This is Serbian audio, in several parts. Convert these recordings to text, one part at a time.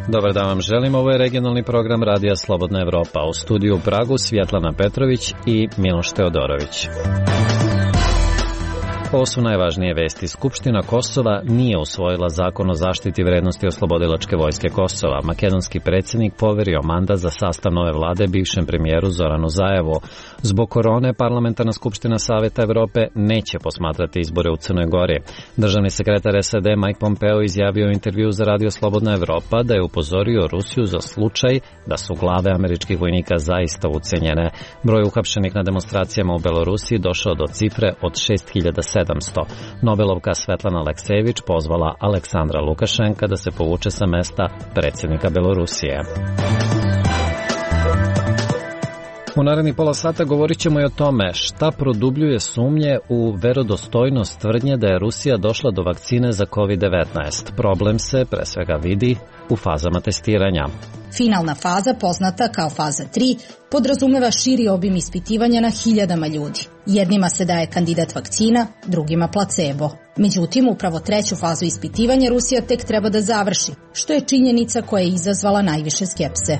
Dobar dan vam želim, ovo je regionalni program Radija Slobodna Evropa. U studiju u Pragu Svjetlana Petrović i Miloš Teodorović. Ovo su najvažnije vesti. Skupština Kosova nije usvojila zakon o zaštiti vrednosti oslobodilačke vojske Kosova. Makedonski predsjednik poverio mandat za sastav nove vlade bivšem premijeru Zoranu Zaevu. Zbog korone, Parlamentarna skupština Saveta Evrope neće posmatrati izbore u Crnoj Gori. Državni sekretar SAD Mike Pompeo izjavio u intervju za Radio Slobodna Evropa da je upozorio Rusiju za slučaj da su glave američkih vojnika zaista ucenjene. Broj uhapšenih na demonstracijama u Belorusiji došao do cifre od 6700. Nobelovka Svetlana Aleksejević pozvala Aleksandra Lukašenka da se povuče sa mesta predsjednika Belorusije. U narednih pola sata govorit ćemo i o tome šta produbljuje sumnje u verodostojnost tvrdnje da je Rusija došla do vakcine za COVID-19. Problem se pre svega vidi u fazama testiranja. Finalna faza, poznata kao faza 3, podrazumeva širi obim ispitivanja na hiljadama ljudi. Jednima se daje kandidat vakcina, drugima placebo. Međutim, upravo treću fazu ispitivanja Rusija tek treba da završi, što je činjenica koja je izazvala najviše skepse.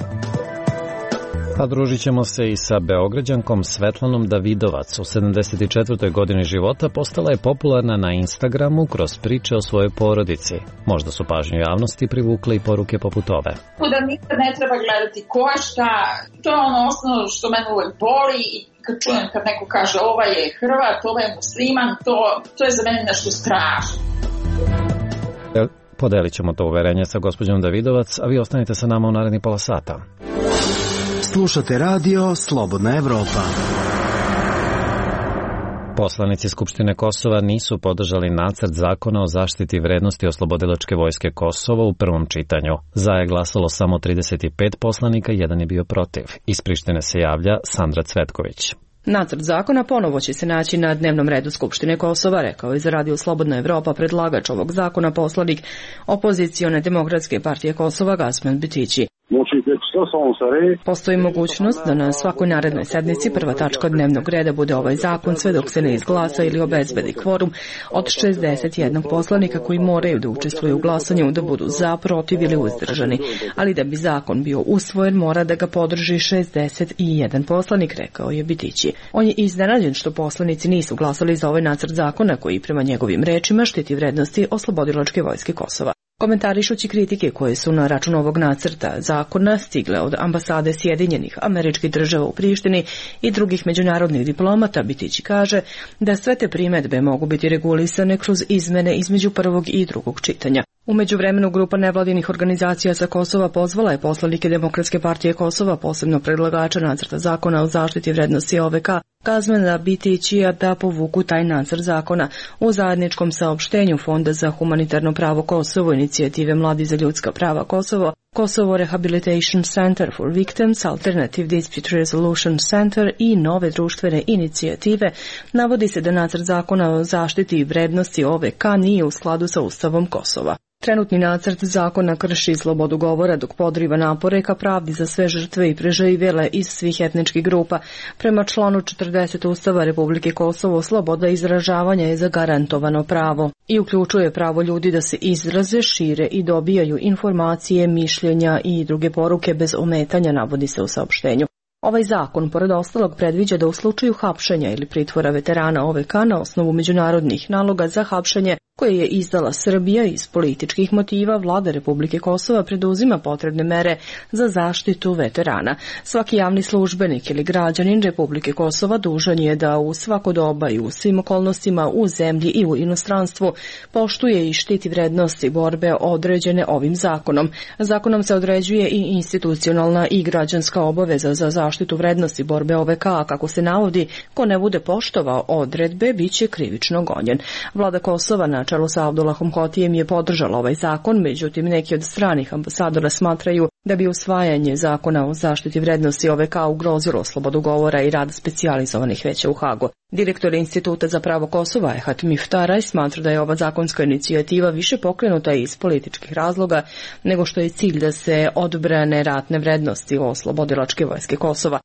A družit ćemo se i sa Beograđankom Svetlanom Davidovac. U 74. godini života postala je popularna na Instagramu kroz priče o svojoj porodici. Možda su pažnju javnosti privukle i poruke poput ove. Da nikad ne treba gledati ko je šta, to je ono osnovno što mene uvek boli i kad čujem kad neko kaže ovaj je Hrvat, ovaj je musliman, to je za mene nešto strašno. Podelit ćemo to uverenje sa gospođom Davidovac, a vi ostanite sa nama u narednih pola sata. Slušate radio Slobodna Evropa. Poslanici Skupštine Kosova nisu podržali nacrt zakona o zaštiti vrednosti oslobodilačke vojske Kosova u prvom čitanju. Za je glasalo samo 35 poslanika, jedan je bio protiv. Iz Prištine se javlja Sandra Cvetković. Nacrt zakona ponovo će se naći na dnevnom redu Skupštine Kosova, rekao je za Radio Slobodna Evropa predlagač ovog zakona poslanik opozicione Demokratske partije Kosova Gasmen Bitići. Postoji mogućnost da na svakoj narednoj sednici prva tačka dnevnog reda bude ovaj zakon sve dok se ne izglasa ili obezbedi kvorum od 61 poslanika koji moraju da učestvuju u glasanju da budu za, protiv ili uzdržani. Ali da bi zakon bio usvojen mora da ga podrži 61 poslanik, rekao je Bitići. On je iznenađen što poslanici nisu glasali za ovaj nacrt zakona koji prema njegovim rečima štiti vrednosti oslobodilačke vojske Kosova. Komentarišući kritike koje su na račun ovog nacrta zakona stigle od ambasade Sjedinjenih Američkih Država u Prištini i drugih međunarodnih diplomata, Bitići kaže da sve te primedbe mogu biti regulisane kroz izmene između prvog i drugog čitanja. U međuvremenu grupa nevladinih organizacija sa Kosova pozvala je poslanike Demokratske partije Kosova, posebno predlagača nacrta zakona o zaštiti vrednosti OVK, Gasmena Bitićija da povuku taj nacrt zakona. U zajedničkom saopštenju Fonda za humanitarno pravo Kosovo, inicijative Mladi za ljudska prava Kosovo, Kosovo Rehabilitation Center for Victims, Alternative Dispute Resolution Center i nove društvene inicijative, navodi se da nacrt zakona o zaštiti vrednosti OVK nije u skladu sa Ustavom Kosova. Trenutni nacrt zakona krši slobodu govora dok podriva napore ka pravdi za sve žrtve i preživjele iz svih etničkih grupa. Prema članu 40 Ustava Republike Kosovo, sloboda izražavanja je zagarantovano pravo i uključuje pravo ljudi da se izraze, šire i dobijaju informacije, mišljenja i druge poruke bez ometanja, navodi se u saopštenju. Ovaj zakon, pored ostalog, predviđa da u slučaju hapšenja ili pritvora veterana OVK na osnovu međunarodnih naloga za hapšenje koje je izdala Srbija iz političkih motiva, vlada Republike Kosova preduzima potrebne mere za zaštitu veterana. Svaki javni službenik ili građanin Republike Kosova dužan je da u svako doba i u svim okolnostima u zemlji i u inostranstvu poštuje i štiti vrednosti borbe određene ovim zakonom. Zakonom se određuje i institucionalna i građanska obaveza za zaštitu vrednosti borbe OVK, a kako se navodi, ko ne bude poštovao odredbe, bit će krivično gonjen. Vlada Kosova na čelu sa Abdullahom Hotijem je podržala ovaj zakon, međutim neki od stranih ambasadora smatraju da bi usvajanje zakona o zaštiti vrednosti OVK ugrozilo slobodu govora i rad specijalizovanih veća u Hagu. Direktor Instituta za pravo Kosova Ehat Miftaraj smatra da je ova zakonska inicijativa više pokrenuta iz političkih razloga nego što je cilj da se odbrane ratne vrednosti oslobodilačke vojske Kosova.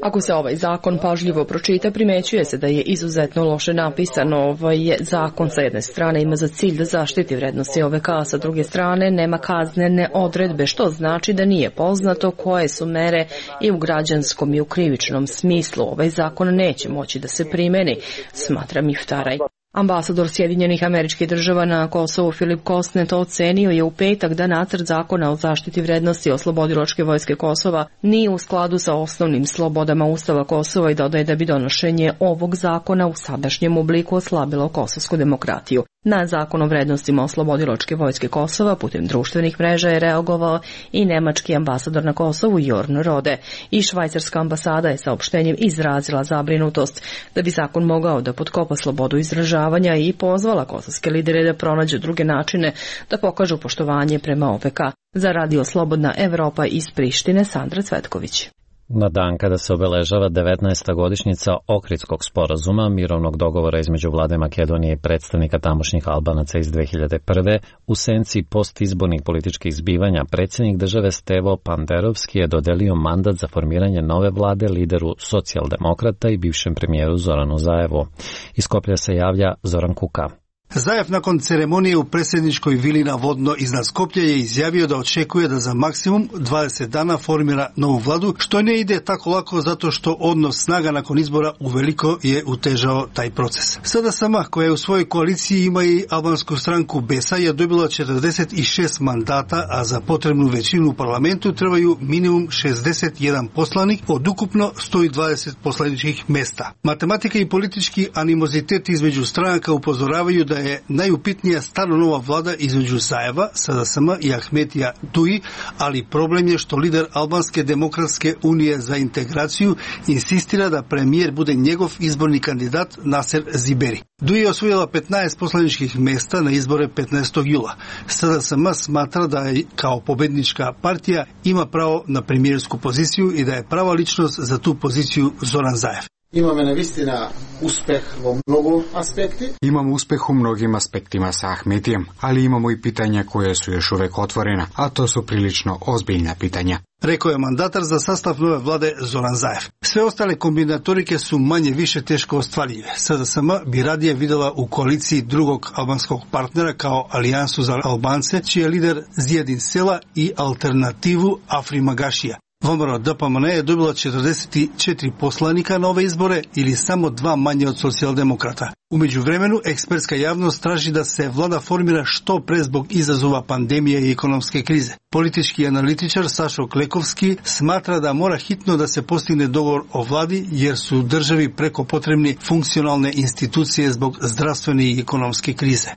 Ako se ovaj zakon pažljivo pročita, primećuje se da je izuzetno loše napisan. Ovaj zakon sa jedne strane ima za cilj da zaštiti vrednosti OVK, a sa druge strane nema kaznene odredbe, što znači da nije poznato koje su mere i u građanskom i u krivičnom smislu. Ovaj zakon neće moći da se primeni, smatra Miftaraj. Ambasador Sjedinjenih Američkih Država na Kosovu Filip Kosnet ocenio je u petak da nacrt zakona o zaštiti vrednosti Oslobodilačke vojske Kosova nije u skladu sa osnovnim slobodama Ustava Kosova i dodaje da bi donošenje ovog zakona u sadašnjem obliku oslabilo kosovsku demokratiju. Na zakon o vrednostima Oslobodilačke vojske Kosova putem društvenih mreža je reagovao i nemački ambasador na Kosovu Jorn Rode. I švajcarska ambasada je saopštenjem izrazila zabrinutost da bi zakon mogao da potkopa slobodu izražavanja i pozvala kosovske lidere da pronađu druge načine da pokažu poštovanje prema OVK. Za Radio Slobodna Evropa iz Prištine, Sandra Cvetković. Na dan kada se obeležava 19. godišnjica Ohridskog sporazuma, mirovnog dogovora između vlade Makedonije i predstavnika tamošnjih Albanaca iz 2001. u senci postizbornih političkih zbivanja, predsjednik države Stevo Panderovski je dodelio mandat za formiranje nove vlade lideru socijaldemokrata i bivšem premijeru Zoranu Zaevu. Iz Skoplja se javlja Zoran Kuka. Zajev nakon ceremonije u predsjedničkoj vili na Vodno iznad Skoplja je izjavio da očekuje da za maksimum 20 dana formira novu vladu, što ne ide tako lako zato što odnos snaga nakon izbora uveliko je utežao taj proces. Sada sama, koja je u svojoj koaliciji ima i albansku stranku BESA, je dobila 46 mandata, a za potrebnu većinu u parlamentu trebaju minimum 61 poslanik od ukupno 120 poslaničkih mesta. Matematika i politički animozitet između stranaka upozoravaju da je najupitnija stvarno nova vlada između Zajeva, SDSM i Ahmetija Duji, ali problem je što lider Albanske demokratske unije za integraciju insistira da premijer bude njegov izborni kandidat Naser Ziberi. Duji je osvojila 15 poslaničkih mesta na izbore 15. jula. SDSM smatra da je kao pobednička partija ima pravo na premijersku poziciju i da je prava ličnost za tu poziciju Zoran Zajev. Imamo navistina uspeh u mnogo aspekti. Imamo uspeh u mnogim aspektima sa Ahmetijem, ali imamo i pitanja koje su još uvek otvorena, a to su prilično ozbiljna pitanja. Rekao je mandatar za sastav nove vlade Zoran Zajev. Sve ostale kombinatorike su manje više teško ostvarljive. SDSM bi radije videla u koaliciji drugog albanskog partnera kao Alijansu za Albance, čiji je lider Zjedin Sela i alternativu Afri Magašija. VMRO DPMN je dobila 44 poslanika na ove izbore ili samo 2 manje od socijaldemokrata. U međuvremenu, ekspertska javnost traži da se vlada formira što pre zbog izazova pandemije i ekonomske krize. Politički analitičar Sašo Klekovski smatra da mora hitno da se postigne dogovor o vladi jer su državi preko potrebni funkcionalne institucije zbog zdravstvene i ekonomske krize.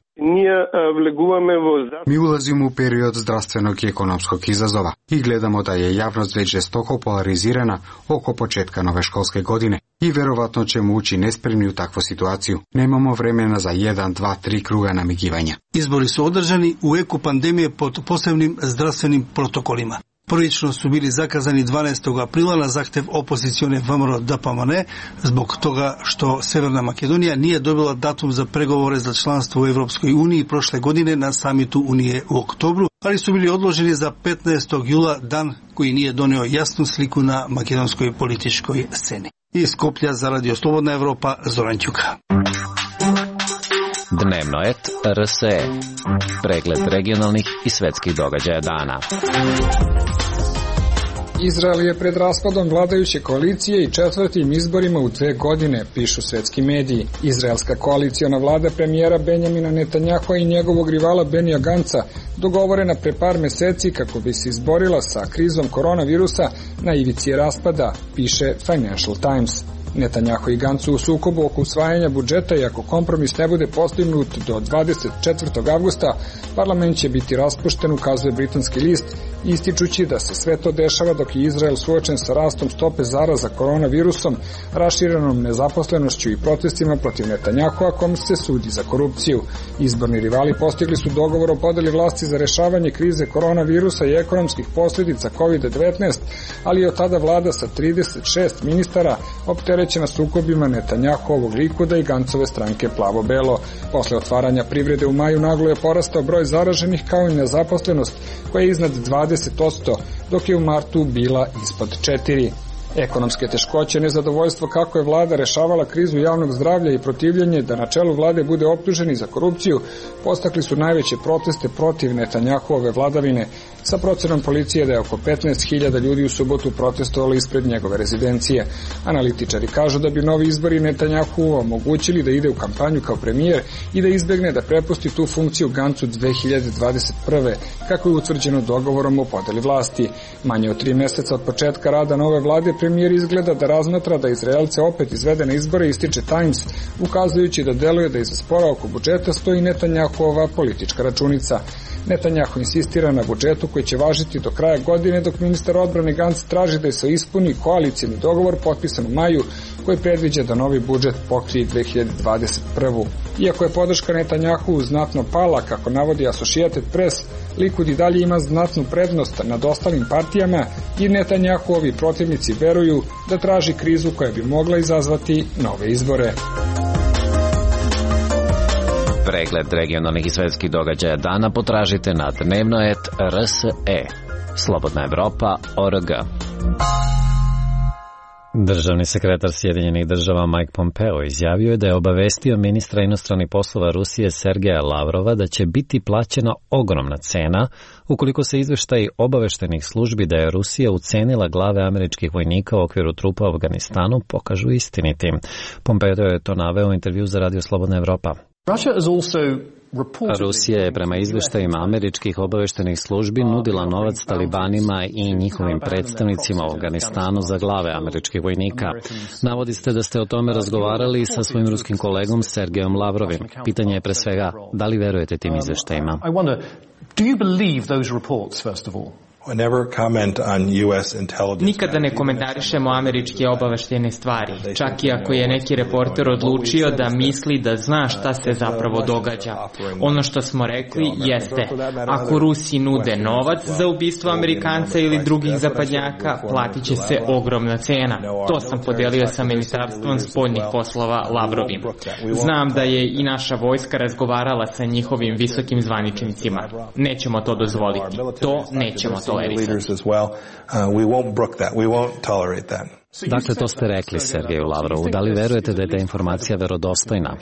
Mi ulazimo u period zdravstvenog i ekonomskog izazova i gledamo da je javnost već žestoko polarizirana oko početka nove školske godine i verovatno ćemo ući nespremni u takvu situaciju. Nemamo vremena za 1, 2, 3 kruga namigivanja. Izbori su održani u eku pandemije pod posebnim zdravstvenim protokolima. Prvično su bili zakazani 12. aprila na zahtev opozicione VMRO DPMN zbog toga što Severna Makedonija nije dobila datum za pregovore za članstvo u Evropskoj uniji prošle godine na samitu Unije u oktobru, ali su bili odloženi za 15. jula, dan koji nije doneo jasnu sliku na makedonskoj političkoj sceni. Iz Skoplja za Radio Slobodna Evropa, Zoran Ćuka. Dnevno et RSE. Pregled regionalnih i svetskih događaja dana. Izrael je pred raspadom vladajuće koalicije i 4. izborima u 2 godine, pišu svetski mediji. Izraelska koaliciona vlada premijera Benjamina Netanjahua i njegovog rivala Benija Ganca dogovorena pre par meseci kako bi se izborila sa krizom koronavirusa na ivici raspada, piše Financial Times. Netanjahu i Gancu u sukobu oko usvajanja budžeta i ako kompromis ne bude postignut do 24. avgusta, parlament će biti raspušten, ukazuje britanski list, ističući da se sve to dešava dok je Izrael suočen sa rastom stope zaraza koronavirusom, raširenom nezaposlenošću i protestima protiv Netanjahua kom se sudi za korupciju. Izborni rivali postigli su dogovor o podeli vlasti za rešavanje krize koronavirusa i ekonomskih posljedica COVID-19, ali je od tada vlada sa 36 ministara opterećena sukobima Netanjahuovog Likuda i Gancove stranke Plavo-Belo. Posle otvaranja privrede u maju naglo je porastao broj zaraženih kao i nezaposlenost koja je iznad 20%, dok je u martu bila ispod 4%. Ekonomske teškoće, nezadovoljstvo kako je vlada rešavala krizu javnog zdravlja i protivljenje da na čelu vlade bude optuženi za korupciju postakli su najveće proteste protiv Netanjahove vladavine, sa procenom policije da je oko 15.000 ljudi u subotu protestovalo ispred njegove rezidencije. Analitičari kažu da bi novi izbori Netanjahu omogućili da ide u kampanju kao premijer i da izbegne da prepusti tu funkciju Gancu 2021. kako je utvrđeno dogovorom o podeli vlasti. Manje od 3 meseca od početka rada nove vlade premijer izgleda da razmatra da Izraelce opet izvede na izbore, ističe Times, ukazujući da deluje da iza spora oko budžeta stoji Netanjahova politička računica. Netanjahu insistira na budžetu koji će važiti do kraja godine, dok ministar odbrane Gantz traži da se ispuni koalicijni dogovor potpisan u maju koji predviđa da novi budžet pokrije 2021. Iako je podrška Netanjahu znatno pala, kako navodi Associated Press, Likud i dalje ima znatnu prednost nad ostalim partijama i Netanjahuovi protivnici veruju da traži krizu koja bi mogla izazvati nove izbore. Pregled regionalnih i svetskih događaja dana potražite na dnevnoet.rse. Slobodna Evropa.org. Državni sekretar Sjedinjenih država Mike Pompeo izjavio je da je obavestio ministra inostranih poslova Rusije Sergeja Lavrova da će biti plaćena ogromna cena ukoliko se izveštaji obaveštenih službi da je Rusija ucenila glave američkih vojnika u okviru trupa u Afganistanu pokažu istinitim. Pompeo je to naveo u intervju za Radio Slobodna Evropa. Rusija je prema izveštajima američkih obaveštenih službi nudila novac talibanima i njihovim predstavnicima u Afganistanu za glave američkih vojnika. Navodite da ste o tome razgovarali sa svojim ruskim kolegom Sergejom Lavrovim. Pitanje je pre svega, da li verujete tim izveštajima? Nikada ne komentarišemo američke obaveštene stvari, čak i ako je neki reporter odlučio da misli da zna šta se zapravo događa. Ono što smo rekli jeste, ako Rusi nude novac za ubistvo Amerikanca ili drugih zapadnjaka, platit će se ogromna cena. To sam podelio sa Ministarstvom spoljnih poslova Lavrovim. Znam da je i naša vojska razgovarala sa njihovim visokim zvaničnicima. Nećemo to dozvoliti. To nećemo tolerisati. Dakle, to ste rekli Sergeju Lavrovu. Da li verujete da je ta informacija verodostojna?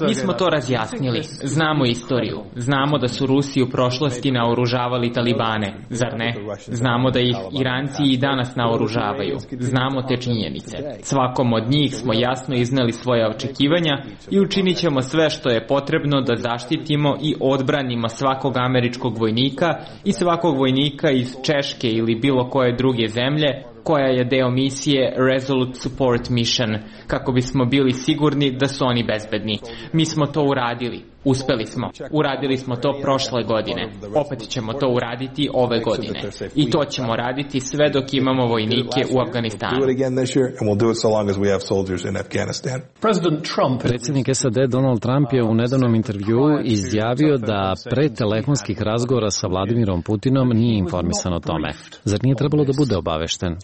Mi smo to razjasnili. Znamo istoriju. Znamo da su Rusi u prošlosti naoružavali talibane, zar ne? Znamo da ih Iranci i danas naoružavaju. Znamo te činjenice. Svakom od njih smo jasno izneli svoje očekivanja i učinit ćemo sve što je potrebno da zaštitimo i odbranimo svakog američkog vojnika i svakog vojnika iz Češke ili bilo koje druge zemlje koja je deo misije Resolute Support Mission, kako bismo bili sigurni da su oni bezbedni. Mi smo to uradili. Uspeli smo. Uradili smo to prošle godine. Opet ćemo to uraditi ove godine. I to ćemo raditi sve dok imamo vojnike u Afganistanu. Predsjednik SAD Donald Trump je u nedavnom intervjuu izjavio da pre telefonskih razgovora sa Vladimirom Putinom nije informisan o tome. Zar nije trebalo da bude obavešten?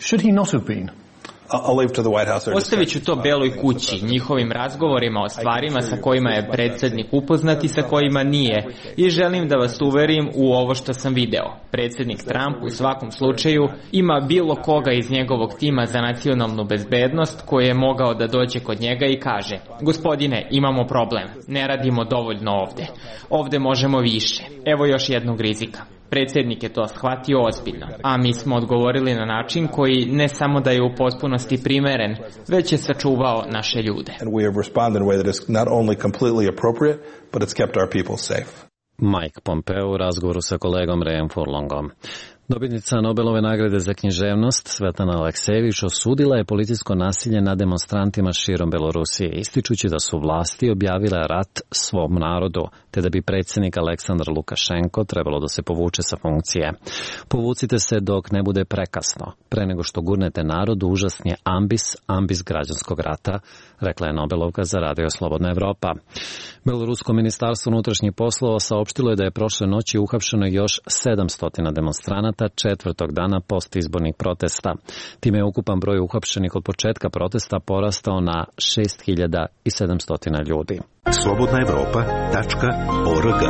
Ostavit ću to Beloj kući, njihovim razgovorima o stvarima sa kojima je predsjednik upoznat i sa kojima nije, i želim da vas uverim u ovo što sam video. Predsjednik Trump u svakom slučaju ima bilo koga iz njegovog tima za nacionalnu bezbednost koji je mogao da dođe kod njega i kaže: gospodine, imamo problem, ne radimo dovoljno ovde. Ovde možemo više. Evo još jednog rizika. Predsjednik je to shvatio ozbiljno, a mi smo odgovorili na način koji ne samo da je u potpunosti primeren, već je sačuvao naše ljude. Mike Pompeo u razgovoru sa kolegom Rayom Furlongom. Dobitnica Nobelove nagrade za književnost Svetlana Aleksejević osudila je policijsko nasilje nad demonstrantima širom Belorusije, ističući da su vlasti objavile rat svom narodu, te da bi predsjednik Aleksandar Lukašenko trebalo da se povuče sa funkcije. Povucite se dok ne bude prekasno. Pre nego što gurnete narodu, užasni je ambis građanskog rata, rekla je Nobelovka za Radio Slobodna Evropa. Belorusko ministarstvo unutrašnjih poslova saopštilo je da je prošle noći uhapšeno još 700 demonstranata četvrtog dana postizbornih protesta. Time je ukupan broj uhapšenih od početka protesta porastao na 6700 ljudi. slobodnaevropa.org.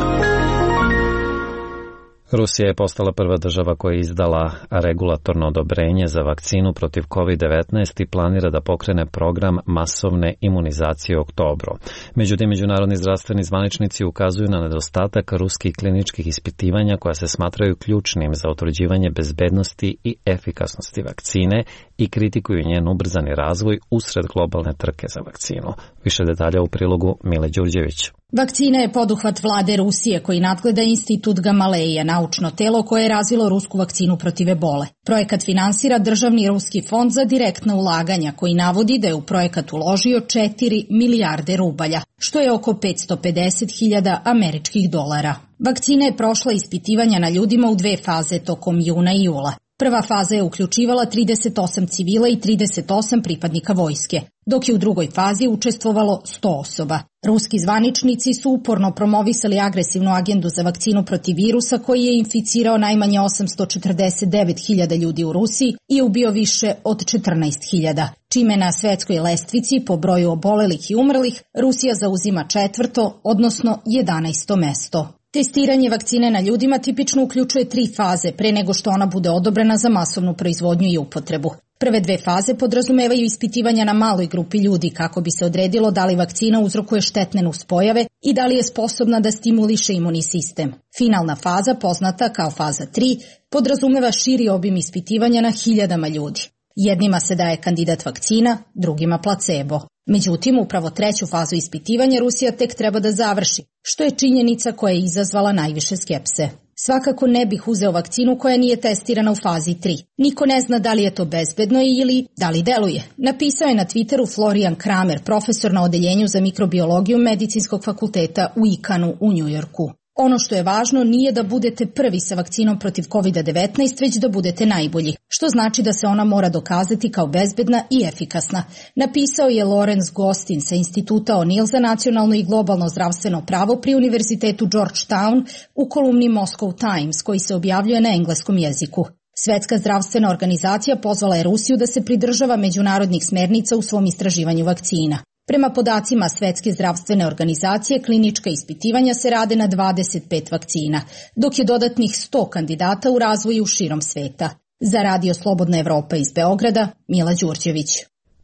Rusija je postala prva država koja je izdala regulatorno odobrenje za vakcinu protiv COVID-19 i planira da pokrene program masovne imunizacije u oktobru. Međutim, međunarodni zdravstveni zvaničnici ukazuju na nedostatak ruskih kliničkih ispitivanja koja se smatraju ključnim za utvrđivanje bezbednosti i efikasnosti vakcine i kritikuju njen ubrzani razvoj usred globalne trke za vakcinu. Više detalja u prilogu Mile Đurđević. Vakcina je poduhvat vlade Rusije koji nadgleda Institut Gamaleja, naučno telo koje je razvilo rusku vakcinu protiv ebole. Projekat finansira državni ruski fond za direktna ulaganja koji navodi da je u projekat uložio 4 milijarde rubalja, što je oko 550.000 američkih dolara. Vakcina je prošla ispitivanja na ljudima u 2 faze tokom juna i jula. Prva faza je uključivala 38 civila i 38 pripadnika vojske, dok je u drugoj fazi učestvovalo 100 osoba. Ruski zvaničnici su uporno promovisali agresivnu agendu za vakcinu protiv virusa koji je inficirao najmanje 849.000 ljudi u Rusiji i ubio više od 14.000, čime na svetskoj lestvici po broju obolelih i umrlih Rusija zauzima 4., odnosno 11. mesto. Testiranje vakcine na ljudima tipično uključuje 3 faze pre nego što ona bude odobrena za masovnu proizvodnju i upotrebu. Prve 2 faze podrazumevaju ispitivanja na maloj grupi ljudi kako bi se odredilo da li vakcina uzrokuje štetne nuspojave i da li je sposobna da stimuliše imunni sistem. Finalna faza, poznata kao faza 3, podrazumeva širi obim ispitivanja na hiljadama ljudi. Jednima se daje kandidat vakcina, drugima placebo. Međutim, upravo 3. fazu ispitivanja Rusija tek treba da završi, što je činjenica koja je izazvala najviše skepse. Svakako ne bih uzeo vakcinu koja nije testirana u fazi 3. Niko ne zna da li je to bezbedno ili da li deluje. Napisao je na Twitteru Florian Kramer, profesor na odeljenju za mikrobiologiju Medicinskog fakulteta u Icahnu u Njujorku. Ono što je važno nije da budete prvi sa vakcinom protiv COVID-19, već da budete najbolji, što znači da se ona mora dokazati kao bezbedna i efikasna, napisao je Lawrence Gostin sa Instituta O'Neill za nacionalno i globalno zdravstveno pravo pri Univerzitetu Georgetown u kolumni Moscow Times, koji se objavljuje na engleskom jeziku. Svetska zdravstvena organizacija pozvala je Rusiju da se pridržava međunarodnih smernica u svom istraživanju vakcina. Prema podacima Svetske zdravstvene organizacije, klinička ispitivanja se rade na 25 vakcina, dok je dodatnih 100 kandidata u razvoju širom sveta. Za Radio Slobodna Evropa iz Beograda, Mila Đurđević.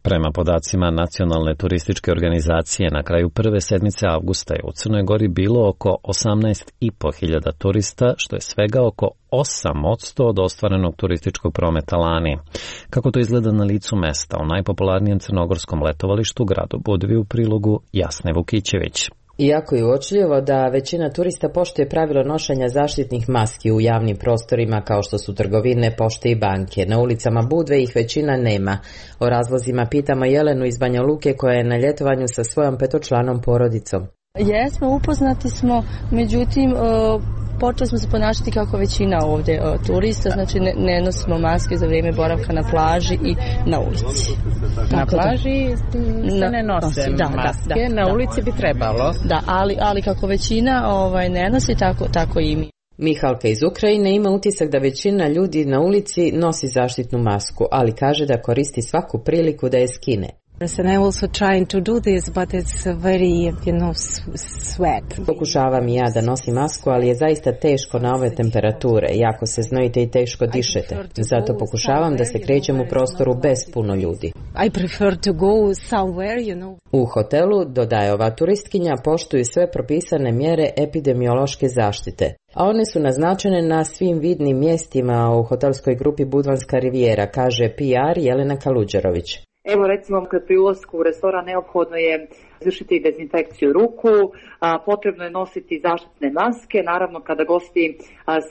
Prema podacima Nacionalne turističke organizacije, na kraju prve sedmice avgusta je u Crnoj Gori bilo oko 18.500 turista, što je svega oko 8% od ostvarenog turističkog prometa lani. Kako to izgleda na licu mesta u najpopularnijem crnogorskom letovalištu, gradu Budvi, u prilogu Jasne Vukićević. Iako je uočljivo da većina turista poštuje pravilo nošenja zaštitnih maski u javnim prostorima kao što su trgovine, pošte i banke, na ulicama Budve ih većina nema. O razlozima pitamo Jelenu iz Banja Luke koja je na ljetovanju sa svojom 5-članom porodicom. Jesmo, upoznati smo, međutim počeli smo se ponašati kako većina ovdje turista, znači ne nosimo maske za vrijeme boravka na plaži i na ulici. Na plaži se ne nose maske, na ulici bi trebalo. Da, ali kako većina ne nosi, tako i mi. Mihalka iz Ukrajine ima utisak da većina ljudi na ulici nosi zaštitnu masku, ali kaže da koristi svaku priliku da je skine. And I'm also trying to do this, but it's very, sweat. Pokušavam i ja da nosim masku, ali je zaista teško na ove temperature. Jako se znojite i teško dišete. Zato pokušavam da se krećem u prostoru bez puno ljudi. I prefer to go somewhere, U hotelu, dodaje ova turistkinja, poštuju sve propisane mjere epidemiološke zaštite. A one su naznačene na svim vidnim mjestima u hotelskoj grupi Budvanska rivijera, kaže PR Jelena Kaluđerović. Evo recimo pri ulasku u restoran neophodno je izvršiti dezinfekciju ruku, potrebno je nositi zaštitne maske, naravno kada gosti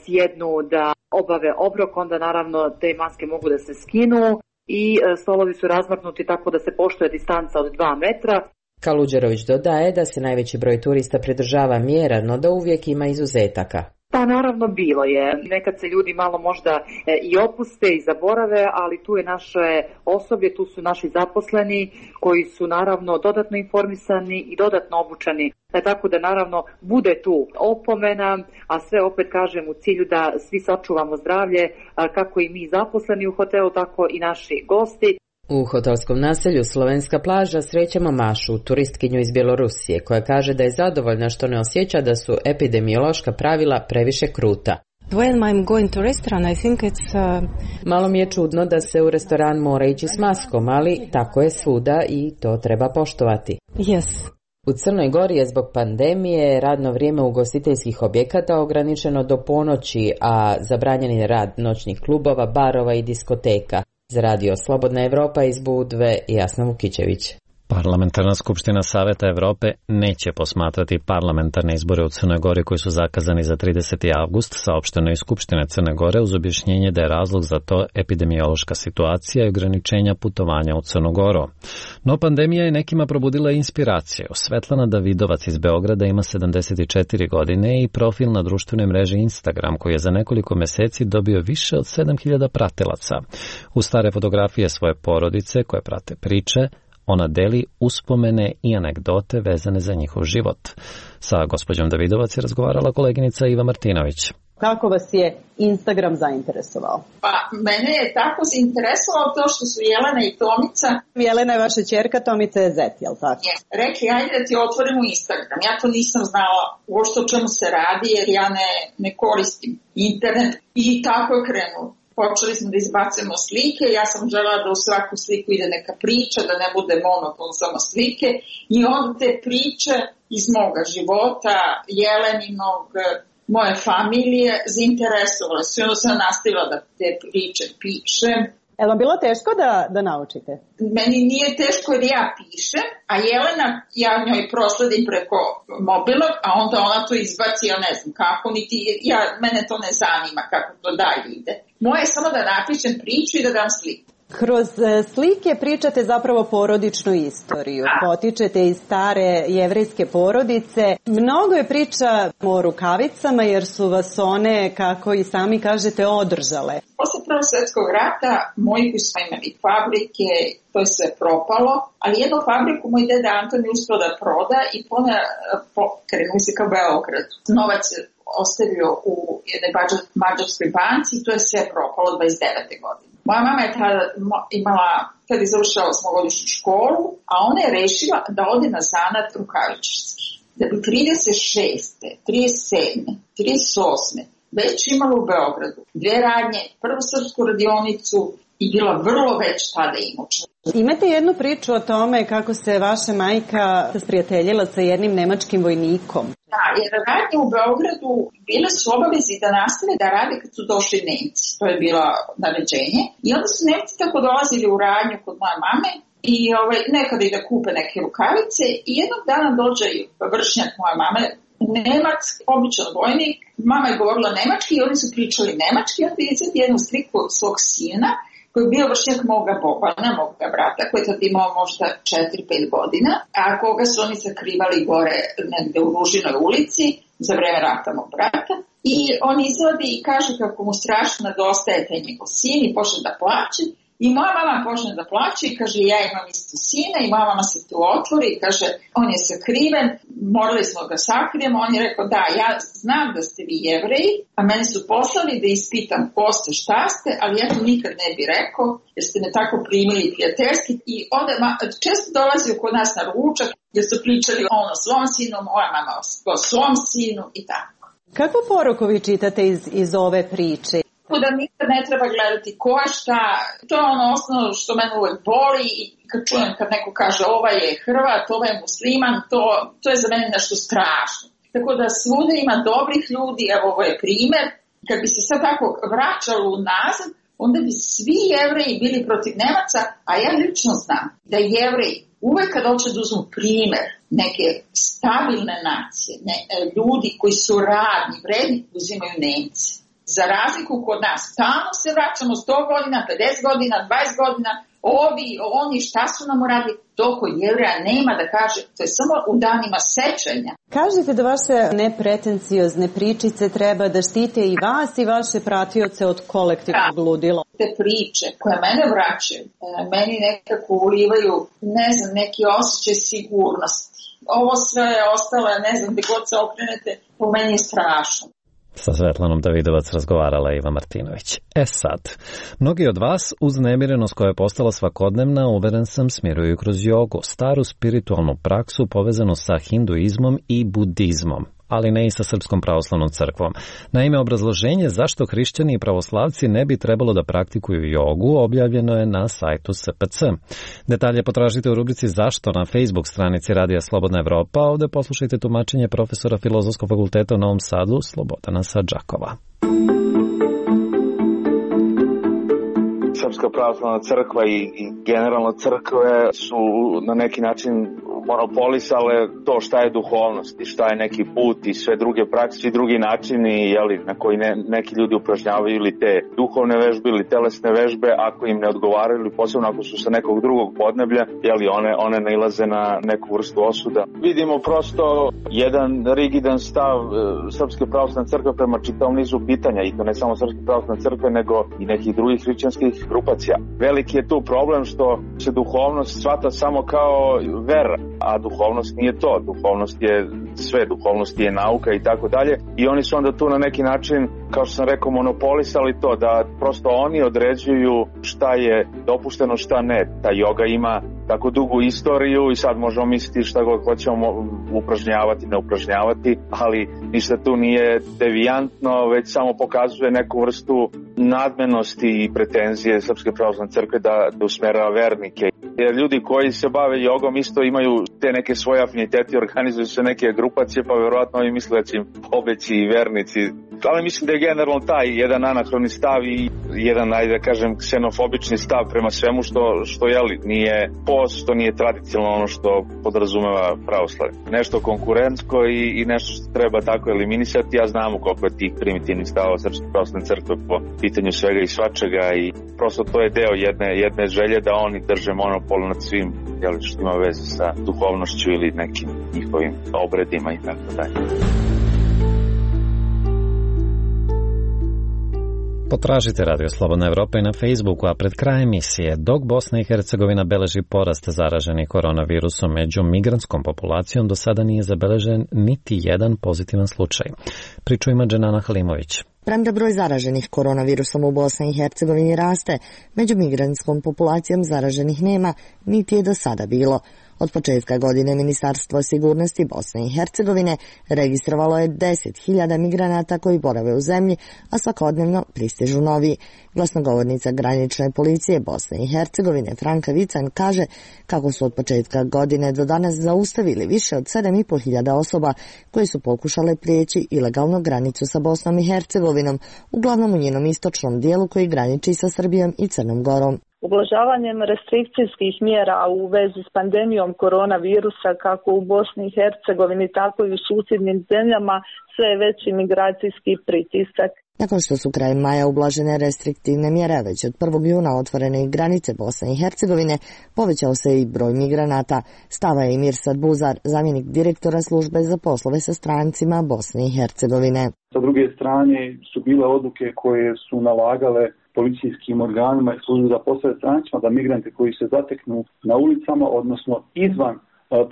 sjednu da obave obrok, onda naravno te maske mogu da se skinu i stolovi su razmaknuti tako da se poštuje distanca od 2 metra. Kaluđerović dodaje da se najveći broj turista pridržava mjera, no da uvijek ima izuzetaka. Pa naravno bilo je. Nekad se ljudi malo možda i opuste i zaborave, ali tu je naše osoblje, tu su naši zaposleni koji su naravno dodatno informisani i dodatno obučeni. Tako da naravno bude tu opomena, a sve opet kažem u cilju da svi sačuvamo zdravlje, kako i mi zaposleni u hotelu, tako i naši gosti. U hotelskom naselju Slovenska plaža srećemo Mašu, turistkinju iz Bjelorusije, koja kaže da je zadovoljna što ne osjeća da su epidemiološka pravila previše kruta. When I'm going to restaurant, I think it's... Malo mi je čudno da se u restoran mora ići s maskom, ali tako je svuda i to treba poštovati. Yes. U Crnoj Gori je zbog pandemije radno vrijeme ugostiteljskih objekata ograničeno do ponoći, a zabranjen je rad noćnih klubova, barova i diskoteka. Za Radio Slobodna Evropa iz Budve, Jasna Vukićević. Parlamentarna skupština Saveta Evrope neće posmatrati parlamentarne izbore u Crnoj Gori koji su zakazani za 30. avgust, saopšteno iz Skupštine Crne Gore uz objašnjenje da je razlog za to epidemiološka situacija i ograničenja putovanja u Crnu Goru. No pandemija je nekima probudila inspiraciju. Svetlana Davidovac iz Beograda ima 74 godine i profil na društvenoj mreži Instagram koji je za nekoliko meseci dobio više od 7000 pratilaca. U stare fotografije svoje porodice koje prate priče, ona deli uspomene i anegdote vezane za njihov život. Sa gospođom Davidovac je razgovarala koleginica Iva Martinović. Kako vas je Instagram zainteresovao? Pa, mene je tako zainteresovalo to što su Jelena i Tomica. Jelena je vaša ćerka, Tomica je zet, jel tako? Rekli, ajde da ti otvorimo Instagram. Ja to nisam znala uopšte o čemu se radi, jer ja ne koristim internet. I tako je krenulo. Počeli smo da izbacujemo slike, ja sam želela da u svaku sliku ide neka priča, da ne bude monoton samo slike. I onda te priče iz moga života, Jeleninog, moje familije, zainteresovale su. I onda sam nastavila da te priče pišem. Je li vam bilo teško da naučite? Meni nije teško jer ja pišem, a Jelena, ja njoj prosledim preko mobilnog, a onda ona to izbaci, ja ne znam kako, mene to ne zanima kako to dalje ide. Moje je samo da napišem priču i da dam sliku. Kroz slike pričate zapravo porodičnu istoriju. Potičete iz stare jevrejske porodice. Mnogo je priča o rukavicama jer su vas one, kako i sami kažete, održale. Posle Prvog svjetskog rata moji koji smo imali fabrike, to je sve propalo, ali jednu fabriku moj deda Anton je uspio da proda i krenuo se ka Beogradu. Novac je ostavio u jednoj mađarskoj banci i to je sve propalo 29. godine. Moja mama je tada je završila 8-godišnju školu, a ona je rešila da ode na zanat rukavičarski. Da bi 36. 37. 38. već imala u Beogradu 2 radnje, prvu srpsku radionicu i bila vrlo već tada imućna. Imate jednu priču o tome kako se vaša majka sprijateljila sa jednim nemačkim vojnikom. Da, jer radnje u Beogradu bile su obavezi da nastave da rade kad su došli Nemci. To je bilo naređenje. I onda su Nemci tako dolazili u radnju kod moje mame i nekada i da kupe neke rukavice i jednog dana dođe vršnjak moje mame, Nemac, običan vojnik, mama je govorila nemački i oni su pričali nemački i onda izvedi jednu sliku od svog sina koji je bio vršnjak moga Bobana, moga brata, koji je tad imao možda 4-5 godina, a koga su oni sakrivali gore negde u Ružinoj ulici za vreme rata mog brata. I on izvodi i kaže kako mu strašno nedostaje taj njegov sin i počne da plače. I moja mama počne da plače i kaže ja imam isto sina i moja mama se tu otvori i kaže on je sakriven, morali smo ga sakrijemo. On je rekao da ja znam da ste vi Jevreji, a meni su poslali da ispitam ko ste, šta ste, ali ja to nikad ne bi rekao jer ste me tako primili prijateljski. I onda često dolazio kod nas na ručak jer su pričali on o svom sinu, moja mama o svom sinu i tako. Kakvu poruku vi čitate iz ove priče? Da nikad ne treba gledati ko je šta, to je ono osnovno što mene uvek boli i kad čujem kad neko kaže ovaj je Hrvat, ovaj je musliman, to je za mene nešto strašno. Tako da svuda ima dobrih ljudi, evo ovo je primer, kad bi se sad tako vraćalo unazad, onda bi svi Jevreji bili protiv Nemaca, a ja lično znam da Jevreji uvek kad hoće da uzmu primer neke stabilne nacije, ljudi koji su radni, vredni, uzimaju Nemci. Za razliku kod nas, tamo se vraćamo 100 godina, 50 godina, 20 godina, oni šta su nam uradili, to kod Jevreja nema da kaže, to je samo u danima sećanja. Kažete da vaše nepretenciozne pričice treba da štite i vas i vaše pratioce od kolektivnog ludila. Te priče koje mene vraćaju, meni nekako ulivaju, ne znam, neki osjećaj sigurnosti. Ovo sve ostalo, ne znam, gde god se okrenete, po meni je strašno. Sa Svetlanom Davidovac razgovarala Iva Martinović. Sad, mnogi od vas uz nemirenost koja je postala svakodnevna, uveren sam, smiruju kroz jogu, staru spiritualnu praksu povezanu sa hinduizmom i budizmom. ali ne i sa Srpskom pravoslavnom crkvom. Naime, obrazloženje zašto hrišćani i pravoslavci ne bi trebalo da praktikuju jogu objavljeno je na sajtu SPC. Detalje potražite u rubrici Zašto na Facebook stranici Radija Slobodna Evropa. Ovde poslušajte tumačenje profesora Filozofskog fakulteta u Novom Sadu Slobodana Sadžakova. Srpska pravoslavna crkva i generalno crkve su na neki način monopolisale to šta je duhovnost i šta je neki put i sve druge prakse i drugi načini na koji neki ljudi upražnjavaju ili te duhovne vežbe ili telesne vežbe ako im ne odgovaraju ili posebno ako su sa nekog drugog podneblja, one nailaze na neku vrstu osuda. Vidimo prosto jedan rigidan stav Srpske pravoslavne crkve prema čitavom nizu pitanja i to ne samo Srpske pravoslavne crkve nego i nekih drugih hrišćanskih grupacija. Veliki je tu problem što se duhovnost shvata samo kao vera, a duhovnost nije to. Duhovnost je sve, duhovnost je nauka i tako dalje i oni su onda tu na neki način, kao što sam rekao, monopolisali to da prosto oni određuju šta je dopušteno, šta ne. Ta joga ima tako dugu istoriju i sad možemo misliti šta god hoćemo upražnjavati, ne upražnjavati, ali ništa tu nije devijantno, već samo pokazuje neku vrstu nadmenosti i pretenzije Srpske pravoslavne crkve da usmerava vernike. Jer ljudi koji se bave jogom isto imaju te neke svoje afinitete, organizuju se neke grupacije, pa verovatno oni misle da će im pobeći i vernici. Ali mislim da je generalno taj jedan anahroni stav i jedan, ajde da kažem, ksenofobični stav prema svemu što nije post, što nije tradicionalno ono što podrazumeva pravoslavlje. Nešto konkurentsko i nešto što treba tako eliminisati, a znamo koliko je tih primitivnih stavova Srpske pravoslavne crkve po pitanju svega i svačega i prosto to je deo jedne želje da oni drže monopol nad svim što ima veze sa duhovnošću ili nekim njihovim obredima i tako dalje. Potražite Radio Slobodna Evropa i na Facebooku, a pred krajem emisije, dok Bosna i Hercegovina beleži porast zaraženih koronavirusom među migrantskom populacijom, do sada nije zabeležen niti jedan pozitivan slučaj. Priču ima Dženana Halimović. Premda broj zaraženih koronavirusom u Bosni i Hercegovini raste, među migrantskom populacijom zaraženih nema, niti je do sada bilo. Od početka godine Ministarstvo sigurnosti Bosne i Hercegovine registrovalo je 10.000 migranata koji borave u zemlji, a svakodnevno pristižu novi. Glasnogovornica granične policije Bosne i Hercegovine Franka Vican kaže kako su od početka godine do danas zaustavili više od 7.500 osoba koje su pokušale prijeći ilegalno granicu sa Bosnom i Hercegovinom, uglavnom u njenom istočnom dijelu koji graniči sa Srbijom i Crnom Gorom. Ublažavanjem restrikcijskih mjera u vezi s pandemijom koronavirusa kako u Bosni i Hercegovini, tako i u susjednim zemljama, sve je veći migracijski pritisak. Nakon što su krajem maja ublažene restriktivne mjere, već od 1. juna otvorene i granice Bosne i Hercegovine, povećao se i broj migranata. Stava je Mirsad Buzar, zamjenik direktora službe za poslove sa strancima Bosne i Hercegovine. Sa druge strane su bile odluke koje su nalagale policijskim organima i službi za poslove strancima da migrante koji se zateknu na ulicama, odnosno izvan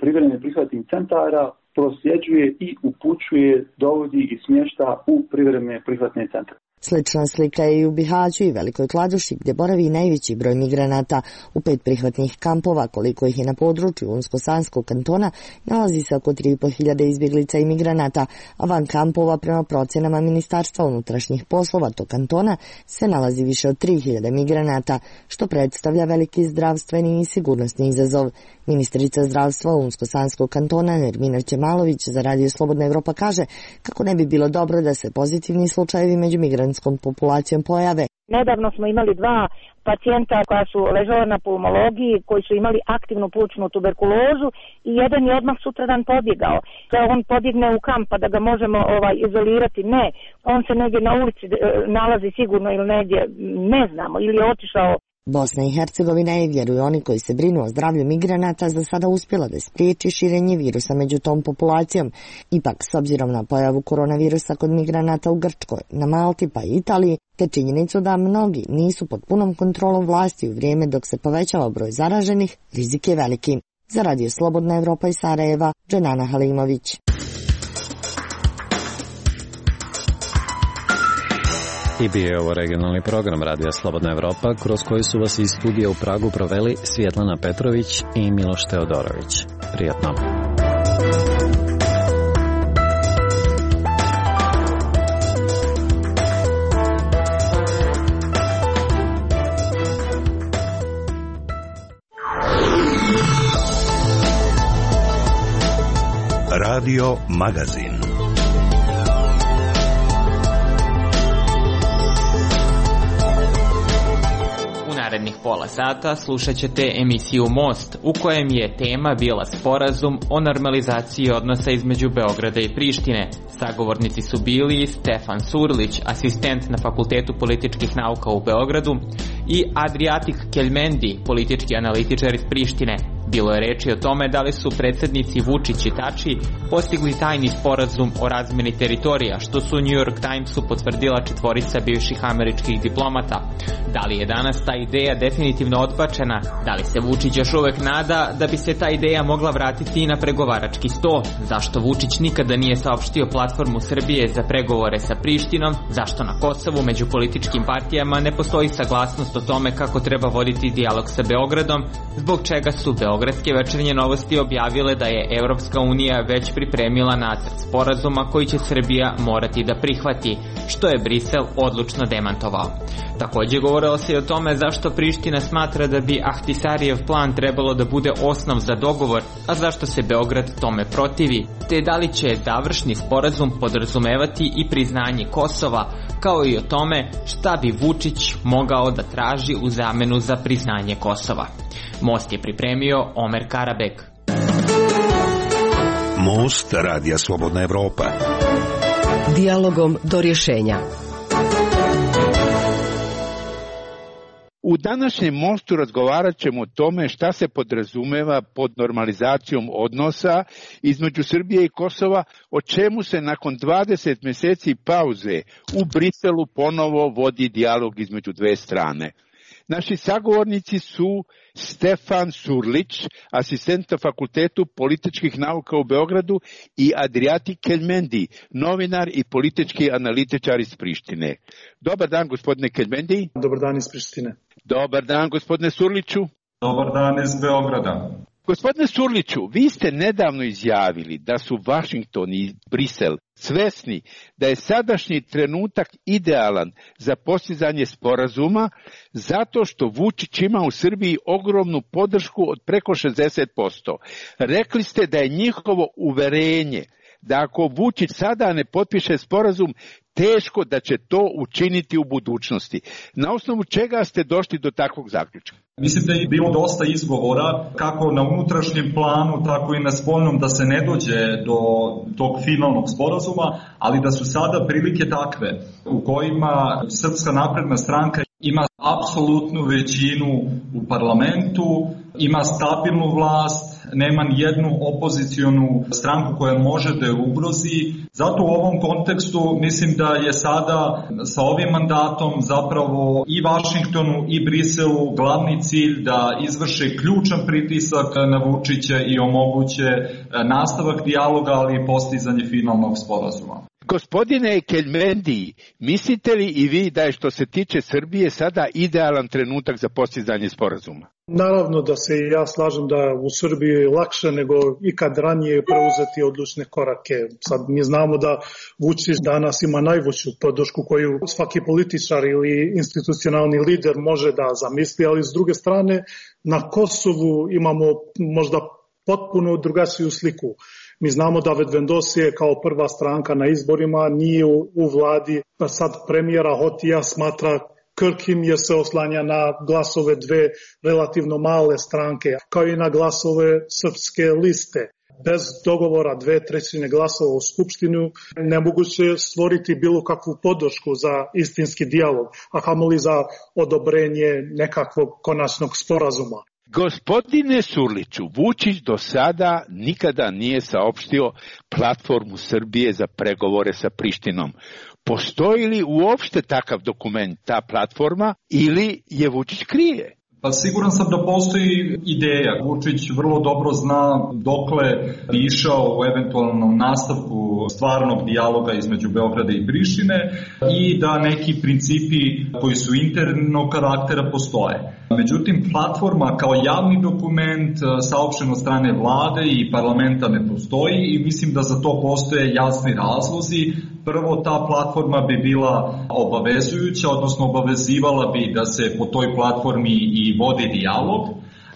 privremenih prihvatnih centara, prosljeđuje i upućuje, dovodi i smješta u privremene prihvatne centre. Slična slika je i u Bihaću i Velikoj Kladuši, gdje boravi najveći broj migranata. U 5 prihvatnih kampova, koliko ih je na području Unsko-Sanskog kantona, nalazi se oko 3.500 izbjeglica i migranata, a van kampova, prema procjenama Ministarstva unutrašnjih poslova tog kantona, se nalazi više od 3.000 migranata, što predstavlja veliki zdravstveni i sigurnosni izazov. Ministrica zdravstva Unsko-Sanskog kantona Nermina Ćemalović za Radio Slobodna Evropa kaže kako ne bi bilo dobro da se pozitivni slučajevi među migrantskom populacijom pojave. Nedavno smo imali 2 pacijenta koja su ležala na pulmologiji, koji su imali aktivnu plućnu tuberkulozu i jedan je odmah sutradan pobjegao. Da on pobjegne u kamp pa da ga možemo izolirati, ne. On se negdje na ulici nalazi sigurno ili negdje, ne znamo, ili je otišao. Bosna i Hercegovina je, vjeruju oni koji se brinu o zdravlju migranata, za sada uspjela da spriječi širenje virusa među tom populacijom. Ipak, s obzirom na pojavu koronavirusa kod migranata u Grčkoj, na Malti pa i Italiji, te činjenicu da mnogi nisu pod punom kontrolom vlasti u vrijeme dok se povećava broj zaraženih, rizik je veliki. Za Radio Slobodna Evropa iz Sarajeva, Dženana Halimović. I bio je ovo regionalni program Radija Slobodna Evropa, kroz koji su vas iz studija u Pragu proveli Svjetlana Petrović i Miloš Teodorović. Prijatno. Radio Magazin. Narednih pola sata slušat ćete emisiju Most, u kojem je tema bila sporazum o normalizaciji odnosa između Beograda i Prištine. Sagovornici su bili Stefan Surlić, asistent na Fakultetu političkih nauka u Beogradu, i Adriatik Keljmendi, politički analitičar iz Prištine. Bilo je reči o tome da li su predsednici Vučić i Tači postigli tajni sporazum o razmeni teritorija, što su New York Timesu potvrdila 4 bivših američkih diplomata. Da li je danas ta ideja definitivno odbačena? Da li se Vučić još uvek nada da bi se ta ideja mogla vratiti i na pregovarački sto? Zašto Vučić nikada nije saopštio platformu Srbije za pregovore sa Prištinom? Zašto na Kosovu među političkim partijama ne postoji saglasnost o tome kako treba voditi dijalog sa Beogradom? Zbog čega su Beogradske večernje novosti objavile da je Evropska unija već pripremila nacrt sporazuma koji će Srbija morati da prihvati, što je Brisel odlučno demantovao. Takođe govorilo se i o tome zašto Priština smatra da bi Ahtisarijev plan trebalo da bude osnov za dogovor, a zašto se Beograd tome protivi, te da li će završni sporazum podrazumevati i priznanje Kosova, kao i o tome šta bi Vučić mogao da traži u zamenu za priznanje Kosova. Most je pripremio Omer Karabek. Most Radija Slobodna Evropa. Dijalogom do rješenja. U današnjem Mostu razgovarat ćemo o tome šta se podrazumeva pod normalizacijom odnosa između Srbije i Kosova, o čemu se nakon 20 mjeseci pauze u Briselu ponovo vodi dijalog između dve strane. Naši sagovornici su Stefan Surlić, asistent na Fakultetu političkih nauka u Beogradu, i Adriatik Keljmendi, novinar i politički analitičar iz Prištine. Dobar dan, gospodine Keljmendi. Dobar dan iz Prištine. Dobar dan, gospodine Surliću. Dobar dan iz Beograda. Gospodine Surliću, vi ste nedavno izjavili da su Vašington i Brisel svesni da je sadašnji trenutak idealan za postizanje sporazuma zato što Vučić ima u Srbiji ogromnu podršku od preko 60%. Rekli ste da je njihovo uverenje da ako Vučić sada ne potpiše sporazum, teško da će to učiniti u budućnosti. Na osnovu čega ste došli do takvog zaključka? Mislim da je bilo dosta izgovora, kako na unutrašnjem planu, tako i na spoljnom, da se ne dođe do tog finalnog sporazuma, ali da su sada prilike takve u kojima Srpska napredna stranka ima apsolutnu većinu u parlamentu, ima stabilnu vlast, nema nijednu opozicionu stranku koja može da je ugrozi. Zato u ovom kontekstu mislim da je sada sa ovim mandatom zapravo i Vašingtonu i Briselu glavni cilj da izvrše ključan pritisak na Vučića i omoguće nastavak dijaloga, ali i postizanje finalnog sporazuma. Gospodine Keljmendi, mislite li i vi da je što se tiče Srbije sada idealan trenutak za postizanje sporazuma? Naravno da se i ja slažem da u Srbiji je lakše nego ikad ranije preuzeti odlučne korake. Sad mi znamo da Vučić danas ima najveću podršku koju svaki političar ili institucionalni lider može da zamisli, ali s druge strane na Kosovu imamo možda potpuno drugačiju sliku. Mi znamo da Vedvendosije kao prva stranka na izborima nije u vladi, pa sad premijera Hotija smatra krhkim jer se oslanja na glasove dve relativno male stranke, kao i na glasove srpske liste. Bez dogovora 2/3 glasova u Skupštinu nemoguće stvoriti bilo kakvu podršku za istinski dijalog, a kamoli za odobrenje nekakvog konačnog sporazuma. Gospodine Surliću, Vučić do sada nikada nije saopštio platformu Srbije za pregovore sa Prištinom. Postoji li uopšte takav dokument, ta platforma, ili je Vučić krije? Pa siguran sam da postoji ideja. Vučić vrlo dobro zna dokle bi išao u eventualnom nastavku stvarnog dijaloga između Beograda i Prištine i da neki principi koji su internog karaktera postoje. Međutim, platforma kao javni dokument saopšten od strane vlade i parlamenta ne postoji i mislim da za to postoje jasni razlozi. Prvo, ta platforma bi bila obavezujuća, odnosno obavezivala bi da se po toj platformi i vodi dijalog,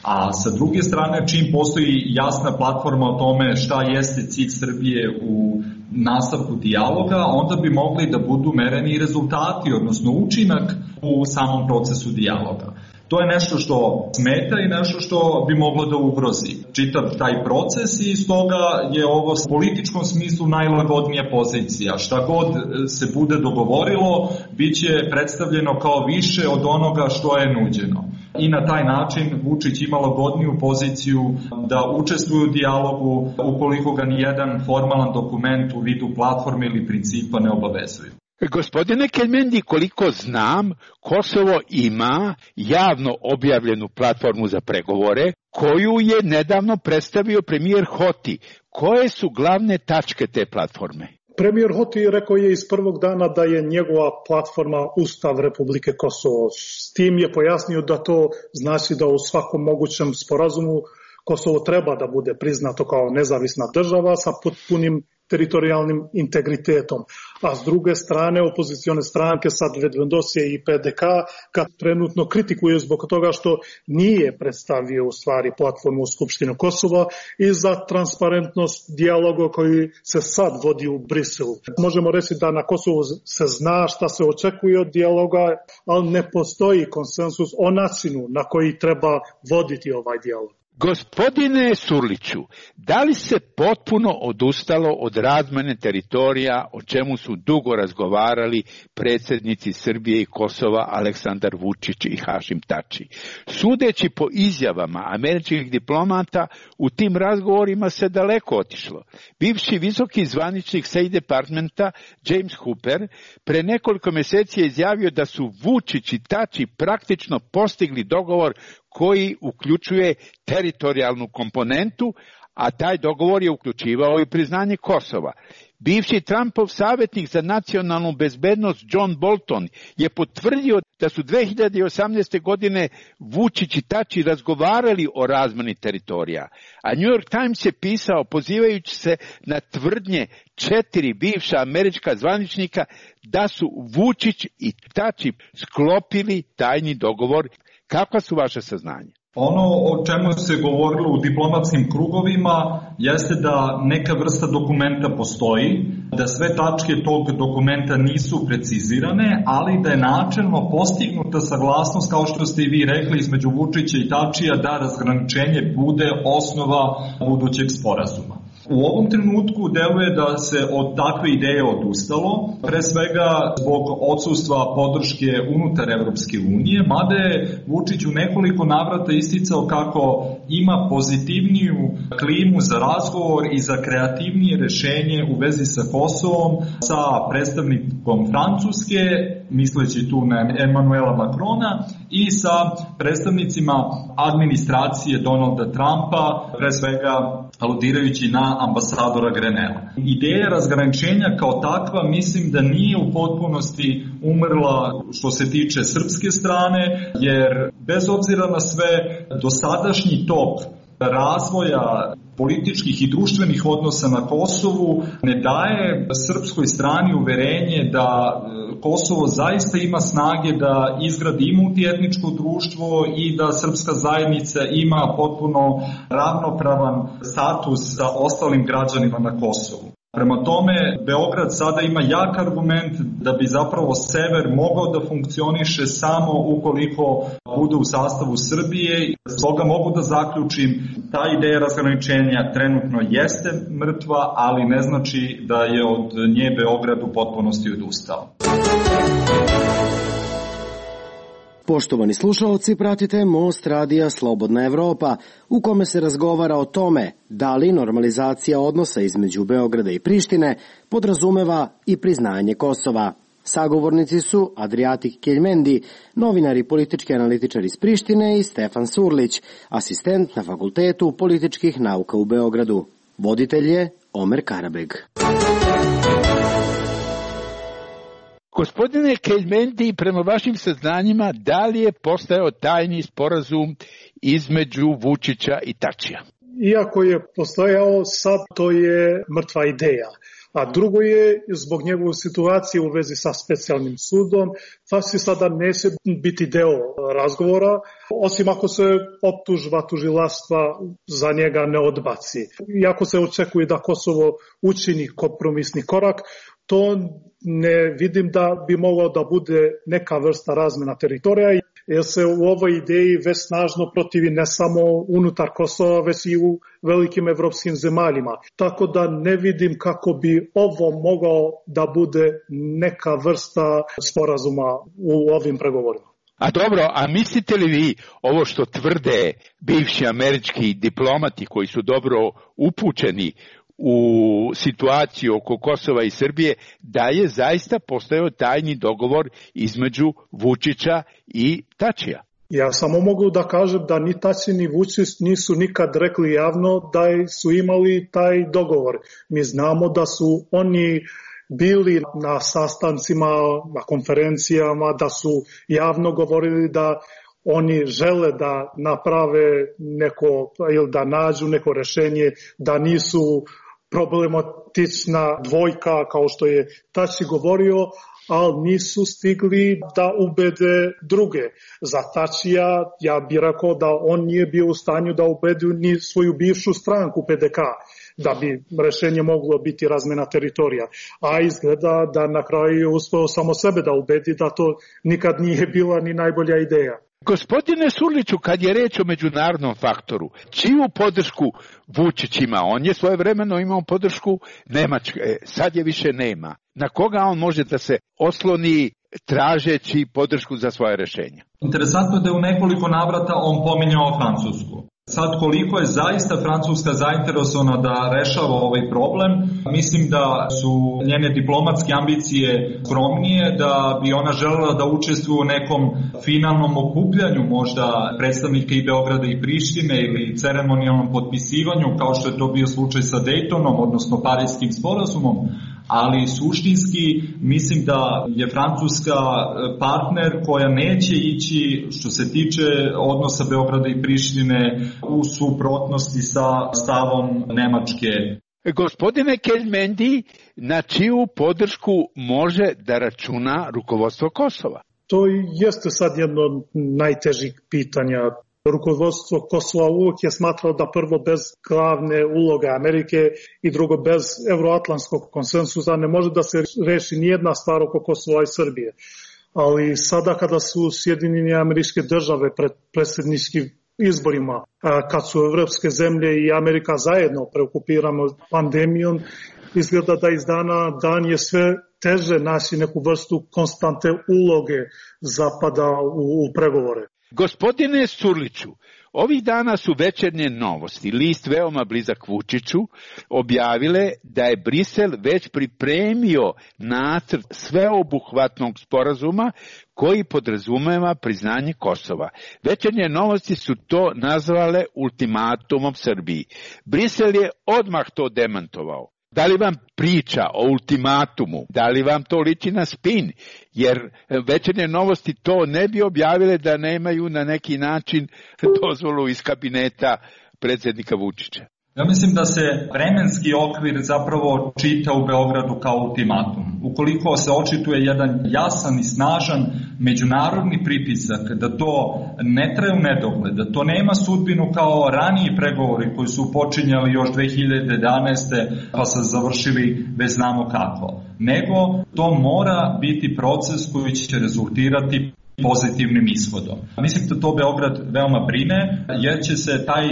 A sa druge strane, čim postoji jasna platforma o tome šta jeste cilj Srbije u nastavku dijaloga, onda bi mogli da budu mereni rezultati, odnosno učinak u samom procesu dijaloga. To je nešto što smeta i nešto što bi moglo da ugrozi čitav taj proces i stoga je ovo u političkom smislu najlagodnija pozicija. Šta god se bude dogovorilo, bit će predstavljeno kao više od onoga što je nuđeno. I na taj način Vučić ima lagodniju poziciju da učestvuje u dijalogu ukoliko ga nijedan formalan dokument u vidu platforme ili principa ne obavezuje. Gospodine Keljmendi, koliko znam, Kosovo ima javno objavljenu platformu za pregovore koju je nedavno predstavio premijer Hoti. Koje su glavne tačke te platforme? Premijer Hoti rekao je iz prvog dana da je njegova platforma Ustav Republike Kosovo. S tim je pojasnio da to znači da u svakom mogućem sporazumu Kosovo treba da bude priznato kao nezavisna država sa potpunim teritorijalnim integritetom. A s druge strane, opozicione stranke, sad Vedvendosije i PDK, kad trenutno kritikuju zbog toga što nije predstavio u stvari platformu u Skupštinu Kosova i za transparentnost dijaloga koji se sad vodi u Briselu. Možemo reći da na Kosovu se zna šta se očekuje od dijaloga, ali ne postoji konsensus o načinu na koji treba voditi ovaj dijalog. Gospodine Surliću, da li se potpuno odustalo od razmene teritorija, o čemu su dugo razgovarali predsjednici Srbije i Kosova Aleksandar Vučić i Hašim Tači? Sudeći po izjavama američkih diplomata, u tim razgovorima se daleko otišlo. Bivši visoki zvaničnik State Departmenta James Hooper pre nekoliko mjeseci je izjavio da su Vučić i Tači praktično postigli dogovor koji uključuje teritorijalnu komponentu, a taj dogovor je uključivao i priznanje Kosova. Bivši Trumpov savjetnik za nacionalnu bezbednost John Bolton je potvrdio da su 2018. godine Vučić i Tači razgovarali o razmeni teritorija, a New York Times je pisao pozivajući se na tvrdnje 4 bivša američka zvaničnika da su Vučić i Tači sklopili tajni dogovor. Kakva su vaše saznanja? Ono o čemu se govorilo u diplomatskim krugovima jeste da neka vrsta dokumenta postoji, da sve tačke tog dokumenta nisu precizirane, ali da je načelno postignuta saglasnost, kao što ste i vi rekli, između Vučića i Tačija, da razgraničenje bude osnova budućeg sporazuma. U ovom trenutku deluje da se od takve ideje odustalo, pre svega zbog odsustva podrške unutar Evropske unije, mada je Vučić u nekoliko navrata isticao kako ima pozitivniju klimu za razgovor i za kreativnije rešenje u vezi sa Kosovom, sa predstavnikom Francuske, misleći tu na Emmanuela Macrona, i sa predstavnicima administracije Donalda Trumpa, pre svega aludirajući na ambasadora Grenela. Ideja razgraničenja kao takva mislim da nije u potpunosti umrla što se tiče srpske strane, jer bez obzira na sve dosadašnji tok razvoja političkih i društvenih odnosa na Kosovu ne daje srpskoj strani uverenje da Kosovo zaista ima snage da izgradi i multietničko društvo i da srpska zajednica ima potpuno ravnopravan status sa ostalim građanima na Kosovu. Prema tome, Beograd sada ima jak argument da bi zapravo sever mogao da funkcioniše samo ukoliko bude u sastavu Srbije. Stoga mogu da zaključim, ta ideja razgraničenja trenutno jeste mrtva, ali ne znači da je od nje Beograd u potpunosti odustao. Poštovani slušalci, pratite Most radija Slobodna Evropa, u kome se razgovara o tome da li normalizacija odnosa između Beograda i Prištine podrazumeva i priznanje Kosova. Sagovornici su Adrijatik Keljmendi, novinar i politički analitičar iz Prištine, i Stefan Surlić, asistent na Fakultetu političkih nauka u Beogradu. Voditelj je Omer Karabeg. Gospodine Keljmendi, prema vašim saznanjima, da li je postojao tajni sporazum između Vučića i Tačija? Iako je postojao, sad to je mrtva ideja. A drugo je zbog njegove situacije u vezi sa specijalnim sudom, Tači sada neće biti deo razgovora, osim ako se optužba tužilaštva za njega ne odbaci. Iako se očekuje da Kosovo učini kompromisni korak, to ne vidim da bi moglo da bude neka vrsta razmena teritorija, jer se u ovoj ideji već snažno protivi ne samo unutar Kosova, već i u velikim evropskim zemaljima. Tako da ne vidim kako bi ovo mogao da bude neka vrsta sporazuma u ovim pregovorima. A dobro, a mislite li vi ovo što tvrde bivši američki diplomati koji su dobro upućeni u situaciju oko Kosova i Srbije, da je zaista postojao tajni dogovor između Vučića i Tačija? Ja samo mogu da kažem da ni Tači ni Vučić nisu nikad rekli javno da su imali taj dogovor. Mi znamo da su oni bili na sastancima, na konferencijama, da su javno govorili da oni žele da naprave neko ili da nađu neko rešenje, da nisu problematična dvojka kao što je Tači govorio, ali nisu stigli da ubede druge. Za Tačija ja bih rekao da on nije bio u stanju da ubedi ni svoju bivšu stranku PDK, da bi rešenje moglo biti razmena teritorija. A izgleda da na kraju je uspeo samo sebe da ubedi da to nikad nije bila ni najbolja ideja. Gospodine Surliću, kad je reč o međunarodnom faktoru, čiju podršku Vučić ima? On je svojevremeno imao podršku Nemačke, sad je više nema. Na koga on može da se osloni tražeći podršku za svoje rešenje? Interesantno je da je u nekoliko navrata on pominjao Francusku. Sad koliko je zaista Francuska zainteresovana da rešava ovaj problem, mislim da su njene diplomatske ambicije skromnije, da bi ona želela da učestvuje u nekom finalnom okupljanju možda predstavnika i Beograda i Prištine ili ceremonijalnom potpisivanju kao što je to bio slučaj sa Daytonom, odnosno Parijskim sporazumom, ali suštinski mislim da je Francuska partner koja neće ići što se tiče odnosa Beograda i Prištine u suprotnosti sa stavom Nemačke. Gospodine Keljmendi, na čiju podršku može da računa rukovodstvo Kosova? To jeste sad jedno od najtežih pitanja. Rukovodstvo Kosova uvijek je smatralo da prvo bez glavne uloge Amerike i drugo bez euroatlantskog konsensusa ne može da se reši nijedna stvar oko Kosova i Srbije. Ali sada kada su Sjedinjene Američke Države pred predsjedničkim izborima, kad su evropske zemlje i Amerika zajedno preokupirano pandemijom, izgleda da iz dana dan je sve teže naći neku vrstu konstante uloge Zapada u pregovore. Gospodine Surliću, ovih dana su Večernje novosti, list veoma blizak Vučiću, objavile da je Brisel već pripremio nacrt sveobuhvatnog sporazuma koji podrazumeva priznanje Kosova. Večernje novosti su to nazvale ultimatumom Srbiji. Brisel je odmah to demantovao. Da li vam priča o ultimatumu, da li vam to liči na spin, jer Večernje novosti to ne bi objavile da nemaju na neki način dozvolu iz kabineta predsjednika Vučića? Ja mislim da se vremenski okvir zapravo čita u Beogradu kao ultimatum. Ukoliko se očituje jedan jasan i snažan međunarodni pritisak da to ne traje u nedogled, da to nema sudbinu kao raniji pregovori koji su počinjali još 2011. pa se završili bez znamo kako, nego to mora biti proces koji će rezultirati pozitivnim ishodom. Mislim da to Beograd veoma brine, jer će se taj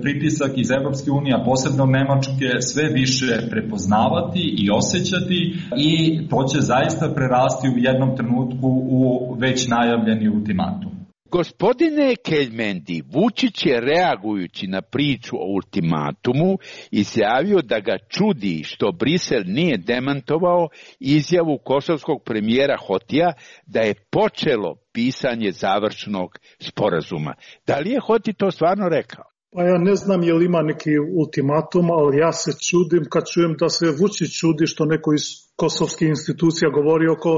pritisak iz Evropske unije, posebno Nemačke, sve više prepoznavati i osjećati i to će zaista prerasti u jednom trenutku u već najavljeni ultimatum. Gospodine Keljmendi, Vučić je reagujući na priču o ultimatumu izjavio da ga čudi što Brisel nije demantovao izjavu kosovskog premijera Hotija da je počelo pisanje završnog sporazuma. Da li je Hoti to stvarno rekao? Pa ja ne znam je li ima neki ultimatum, ali ja se čudim kad čujem da se Vučić čudi što neko iz kosovskih institucija govori oko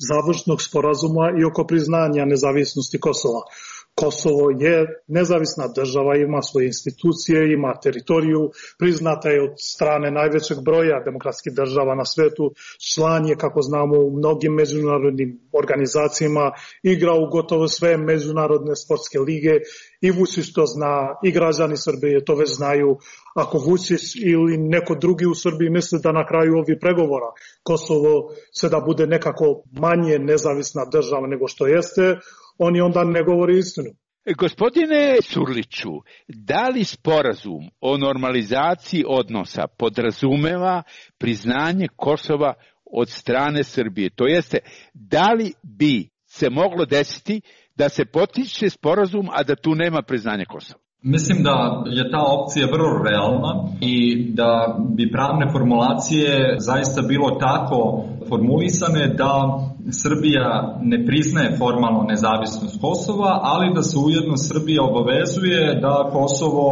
završnog sporazuma i oko priznanja nezavisnosti Kosova. Kosovo je nezavisna država, ima svoje institucije, ima teritoriju, priznata je od strane najvećeg broja demokratskih država na svetu, član je, kako znamo, u mnogim međunarodnim organizacijama, igra u gotovo sve međunarodne sportske lige i Vučić to zna, i građani Srbije to već znaju. Ako Vučić ili neko drugi u Srbiji misle da na kraju ovih pregovora Kosovo će da bude nekako manje nezavisna država nego što jeste, oni onda ne govori istinu. Gospodine Surliću, da li sporazum o normalizaciji odnosa podrazumeva priznanje Kosova od strane Srbije? To jeste, da li bi se moglo desiti da se potpiše sporazum, a da tu nema priznanja Kosova? Mislim da je ta opcija vrlo realna i da bi pravne formulacije zaista bilo tako formulisane da Srbija ne priznaje formalno nezavisnost Kosova, ali da se ujedno Srbija obavezuje da Kosovo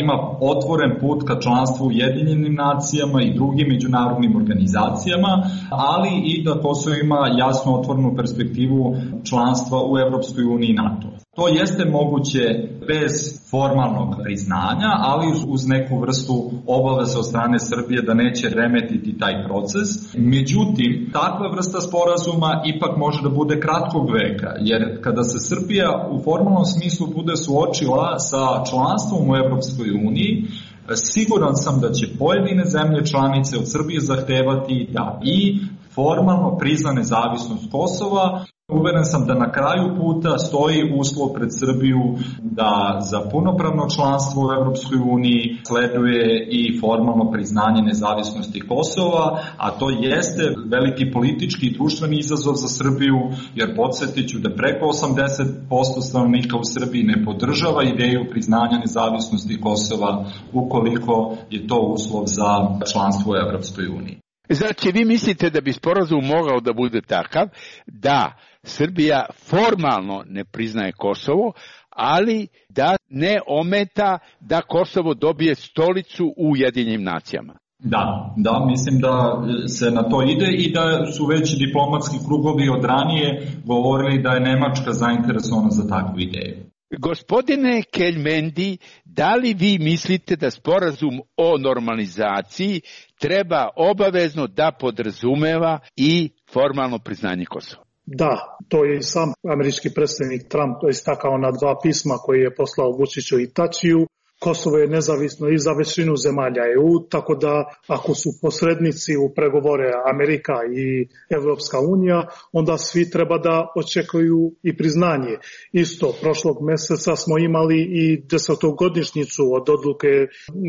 ima otvoren put ka članstvu u Ujedinjenim nacijama i drugim međunarodnim organizacijama, ali i da Kosovo ima jasno otvorenu perspektivu članstva u Evropskoj uniji i NATO. To jeste moguće bez formalnog priznanja, ali uz neku vrstu obaveze od strane Srbije da neće remetiti taj proces. Međutim, takva vrsta sporazuma ipak može da bude kratkog veka, jer kada se Srbija u formalnom smislu bude suočila sa članstvom u Evropskoj uniji, siguran sam da će pojedine zemlje članice od Srbije zahtevati da i formalno prizna nezavisnost Kosova. Uveren sam da na kraju puta stoji uslov pred Srbiju da za punopravno članstvo u Evropskoj uniji sleduje i formalno priznanje nezavisnosti Kosova, a to jeste veliki politički i društveni izazov za Srbiju, jer podsjetiću da preko 80% stanovnika u Srbiji ne podržava ideju priznanja nezavisnosti Kosova ukoliko je to uslov za članstvo u Evropskoj uniji. Znači, vi mislite da bi sporazum mogao da bude takav da Srbija formalno ne priznaje Kosovo, ali da ne ometa da Kosovo dobije stolicu u Ujedinjenim nacijama? Da, mislim da se na to ide i da su već diplomatski krugovi od ranije govorili da je Nemačka zainteresovana za takvu ideju. Gospodine Keljmendi, da li vi mislite da sporazum o normalizaciji treba obavezno da podrazumeva i formalno priznanje Kosova? Da, to je i sam američki predsjednik Trump istakao na 2 pisma koje je poslao Vučiću i Tačiju. Kosovo je nezavisno i za većinu zemalja EU, tako da ako su posrednici u pregovore Amerika i Evropska unija, onda svi treba da očekuju i priznanje. Isto, prošlog meseca smo imali i 10-godišnjicu od odluke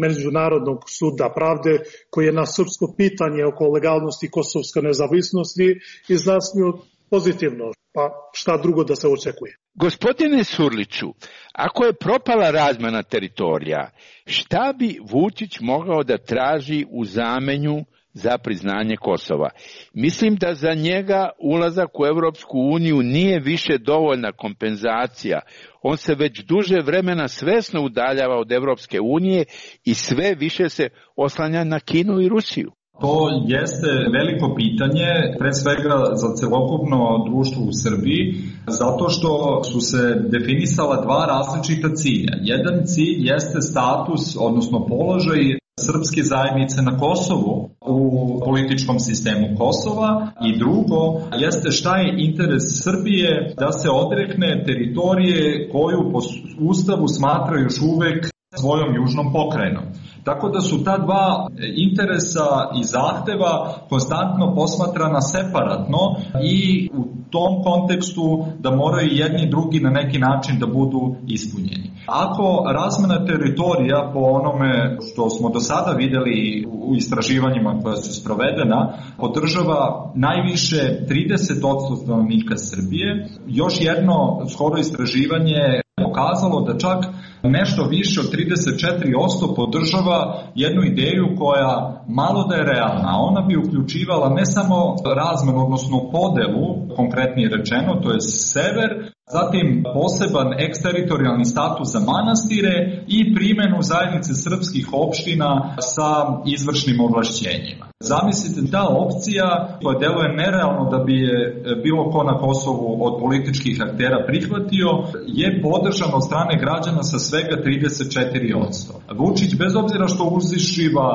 Međunarodnog suda pravde koji je na srpsko pitanje oko legalnosti kosovske nezavisnosti izjasnio pozitivno, pa šta drugo da se očekuje. Gospodine Surliću, ako je propala razmena teritorija, šta bi Vučić mogao da traži u zamenju za priznanje Kosova? Mislim da za njega ulazak u Evropsku uniju nije više dovoljna kompenzacija. On se već duže vremena svesno udaljava od Evropske unije i sve više se oslanja na Kinu i Rusiju. To jeste veliko pitanje, pre svega za celokupno društvo u Srbiji, zato što su se definisala 2 različita cilja. Jedan cilj jeste status, odnosno položaj srpske zajednice na Kosovu u političkom sistemu Kosova i drugo jeste šta je interes Srbije da se odrekne teritorije koju po Ustavu smatra još uvek svojom južnom pokrajinom. Tako da su ta 2 interesa i zahteva konstantno posmatrana separatno i u tom kontekstu da moraju jedni i drugi na neki način da budu ispunjeni. Ako razmena teritorija po onome što smo do sada videli u istraživanjima koja su sprovedena podržava najviše 30% stanovnika Srbije, još jedno skoro istraživanje pokazalo da čak nešto više od 34% podržava jednu ideju koja malo da je realna. Ona bi uključivala ne samo razmenu, odnosno podelu, konkretnije rečeno, to je sever, zatim poseban eksteritorijalni status za manastire i primenu zajednice srpskih opština sa izvršnim ovlašćenjima. Zamislite ta opcija koja deluje nerealno da bi je bilo ko na Kosovu od političkih aktera prihvatio, je podržan od strane građana sa svega 34%. Vučić, bez obzira što uzišiva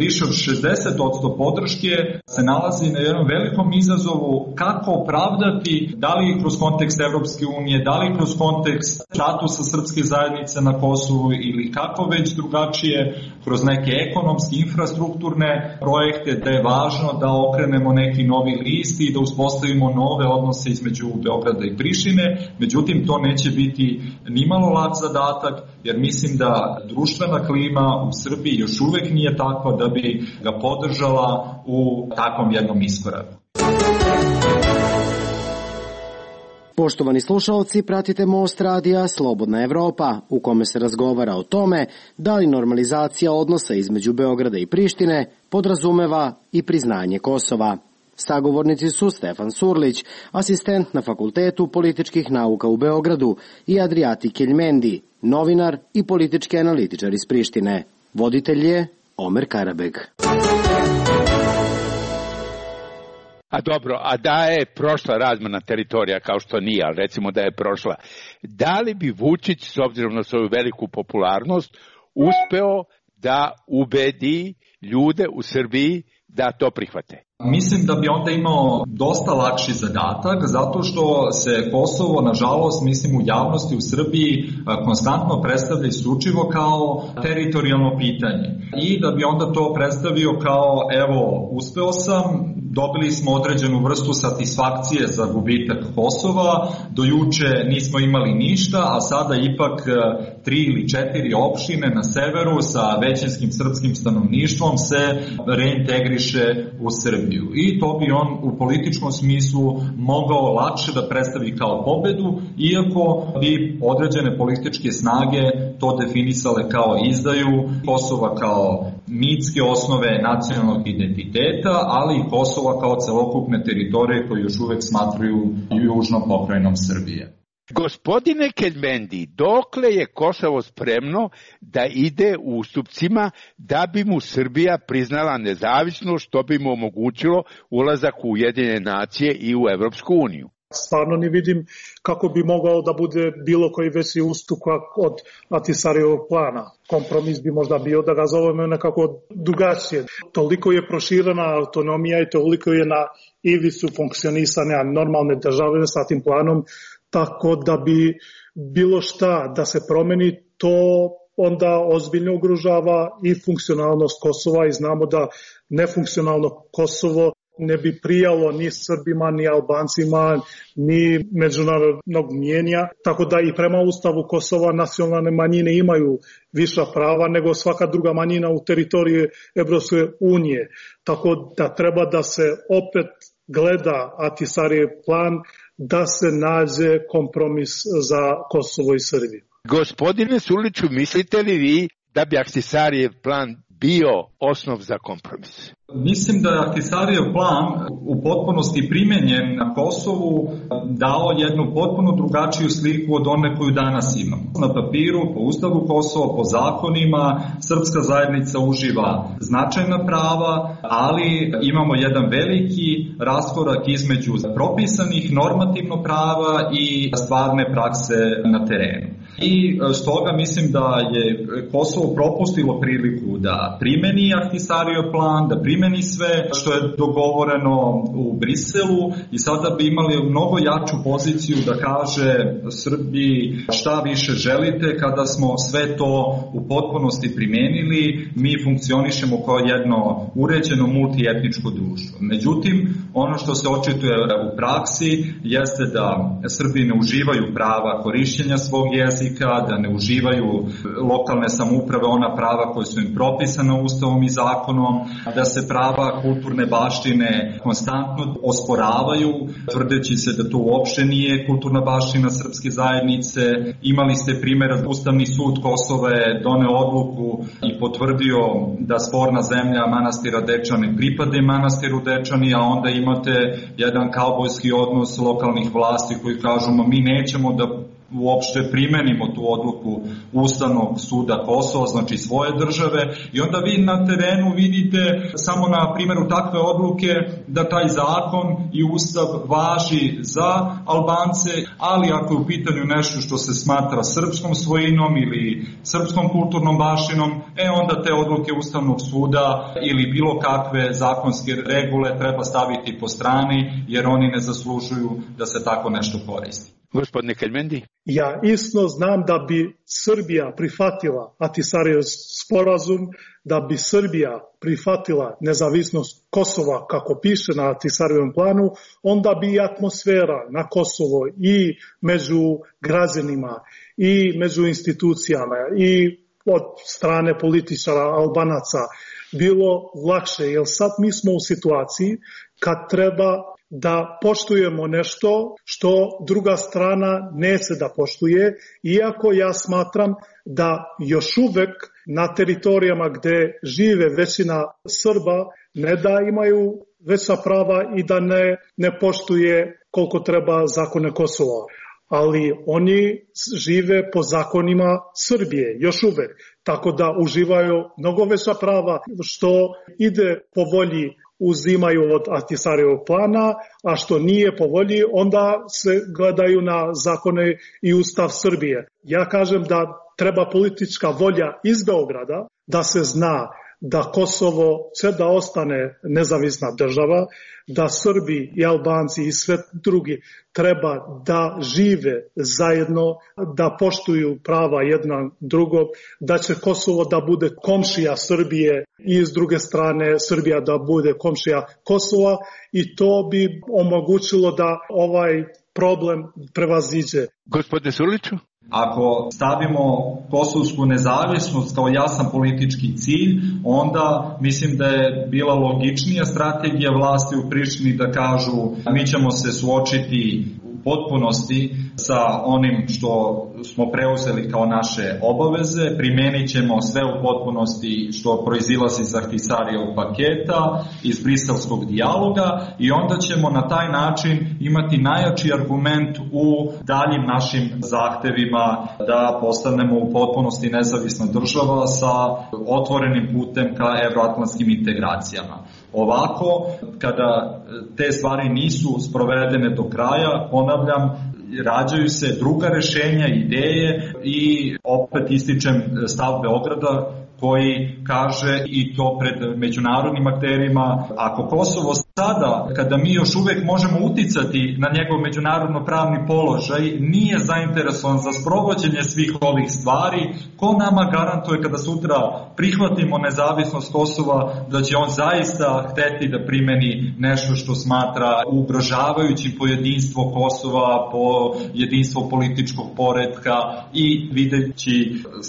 više od 60% podrške, se nalazi na jednom velikom izazovu kako opravdati, da li kroz kontekst Evropske unije, da li kroz kontekst statusa srpske zajednice na Kosovu ili kako već drugačije, kroz neke ekonomske, infrastrukturne projekte, da je važno da okrenemo neki novi list i da uspostavimo nove odnose između Beograda i Prištine. Međutim, to neće biti nimalo lak zadatak, jer mislim da društvena klima u Srbiji još uvek nije takva da bi ga podržala u takvom jednom iskoraku. Poštovani slušalci, pratite Most radija Slobodna Evropa, u kome se razgovara o tome da li normalizacija odnosa između Beograda i Prištine podrazumeva i priznanje Kosova. Sagovornici su Stefan Surlić, asistent na Fakultetu političkih nauka u Beogradu, i Adriati Keljmendi, novinar i politički analitičar iz Prištine. Voditelj je Omer Karabeg. A dobro, a da je prošla razmena teritorija, kao što nije, ali recimo da je prošla, da li bi Vučić, s obzirom na svoju veliku popularnost, uspeo da ubedi ljude u Srbiji da to prihvate? Mislim da bi onda imao dosta lakši zadatak, zato što se Kosovo, nažalost, mislim u javnosti u Srbiji konstantno predstavlja isključivo kao teritorijalno pitanje. I da bi onda to predstavio kao, evo, uspeo sam, dobili smo određenu vrstu satisfakcije za gubitak Kosova, do juče nismo imali ništa, a sada ipak 3 ili 4 opštine na severu sa većinskim srpskim stanovništvom se reintegriše u Srbiju. I to bi on u političkom smislu mogao lakše da predstavi kao pobedu, iako bi određene političke snage to definisale kao izdaju Kosova kao mitske osnove nacionalnog identiteta, ali i Kosova kao celokupne teritorije koje još uvek smatruju južnom pokrajinom Srbije. Gospodine Keljmendi, dokle je Kosovo spremno da ide u ustupcima da bi mu Srbija priznala nezavisnost, što bi mu omogućilo ulazak u Ujedinjene nacije i u Evropsku uniju? Stvarno ne vidim kako bi mogao da bude bilo koji veći ustupak od Ahtisarijevog plana. Kompromis bi možda bio da ga zovemo nekako drugačije. Toliko je proširena autonomija i toliko je na ivicu funkcionisanja normalne države sa tim planom, tako da bi bilo šta da se promeni, to onda ozbiljno ugrožava i funkcionalnost Kosova i znamo da nefunkcionalno Kosovo ne bi prijalo ni Srbima, ni Albancima, ni međunarodnog mnijenja, tako da i prema Ustavu Kosova nacionalne manjine imaju viša prava nego svaka druga manjina u teritoriji Evropske unije. Tako da treba da se opet gleda Ahtisarijev plan, da se nađe kompromis za Kosovo i Srbiju. Gospodine Surliću, mislite li vi da bi Ahtisarijev plan bio osnov za kompromis? Mislim da je Ahtisarijev plan u potpunosti primenjen na Kosovu dao jednu potpuno drugačiju sliku od one koju danas imamo. Na papiru, po Ustavu Kosova, po zakonima, srpska zajednica uživa značajna prava, ali imamo jedan veliki raskorak između propisanih normativno prava i stvarne prakse na terenu. I stoga mislim da je Kosovo propustilo priliku da primeni Ahtisarijev plan, da primeni sve što je dogovoreno u Briselu i sada bi imali mnogo jaču poziciju da kaže Srbiji šta više želite kada smo sve to u potpunosti primenili, mi funkcionišemo kao jedno uređeno multietničko društvo. Međutim, ono što se očituje u praksi jeste da Srbi ne uživaju prava korišćenja svog jezika, da ne uživaju lokalne samouprave ona prava koje su im propisane Ustavom i zakonom, da se prava kulturne baštine konstantno osporavaju, tvrdeći se da to uopšte nije kulturna baština srpske zajednice. Imali ste primjer, Ustavni sud Kosova je doneo odluku i potvrdio da sporna zemlja manastira Dečani pripade manastiru Dečani, a onda imate jedan kaubojski odnos lokalnih vlasti koji kažu mi nećemo da uopšte primenimo tu odluku Ustavnog suda Kosova, znači svoje države, i onda vi na terenu vidite samo na primjeru takve odluke da taj zakon i Ustav važi za Albance, ali ako je u pitanju nešto što se smatra srpskom svojinom ili srpskom kulturnom baštinom, onda te odluke Ustavnog suda ili bilo kakve zakonske regule treba staviti po strani, jer oni ne zaslužuju da se tako nešto koristi. Gospodine Keljmendi? Ja isto znam da bi Srbija prihvatila Ahtisarijev sporazum, da bi Srbija prihvatila nezavisnost Kosova kako piše na Ahtisarijevom planu, onda bi i atmosfera na Kosovo i među građanima i među institucijama i od strane političara Albanaca bilo lakše, jer sad mi smo u situaciji kad treba da poštujemo nešto što druga strana neće da poštuje, iako ja smatram da još uvek na teritorijama gde žive većina Srba ne da imaju veća prava i da ne poštuje koliko treba zakone Kosova. Ali oni žive po zakonima Srbije, još uvek, tako da uživaju mnogo veća prava, što ide po volji uzimaju od Ahtisarijevog plana, a što nije po volji, onda se gledaju na zakone i Ustav Srbije. Ja kažem da treba politička volja iz Beograda, da se zna da Kosovo će da ostane nezavisna država, da Srbi i Albanci i sve drugi treba da žive zajedno, da poštuju prava jedna drugog, da će Kosovo da bude komšija Srbije i s druge strane Srbija da bude komšija Kosova, i to bi omogućilo da ovaj problem prevaziđe. Gospodine Surliću? Ako stavimo kosovsku nezavisnost kao jasan politički cilj, onda mislim da je bila logičnija strategija vlasti u Prištini da kažu mi ćemo se suočiti u potpunosti sa onim što smo preuzeli kao naše obaveze, primenit ćemo sve u potpunosti što proizilazi iz Ahtisarijevog paketa, iz briselskog dijaloga, i onda ćemo na taj način imati najjači argument u daljim našim zahtevima da postanemo u potpunosti nezavisna država sa otvorenim putem ka evroatlantskim integracijama. Ovako, kada te stvari nisu sprovedene do kraja, ponavljam, rađaju se druga rešenja, ideje, i opet ističem stav Beograda koji kaže, i to pred međunarodnim akterima, ako Kosovo sada, kada mi još uvek možemo uticati na njegov međunarodno pravni položaj, nije zainteresovan za sprovođenje svih ovih stvari, ko nama garantuje kada sutra prihvatimo nezavisnost Kosova da će on zaista hteti da primeni nešto što smatra ugrožavajućim po jedinstvo Kosova, po jedinstvo političkog poretka, i videći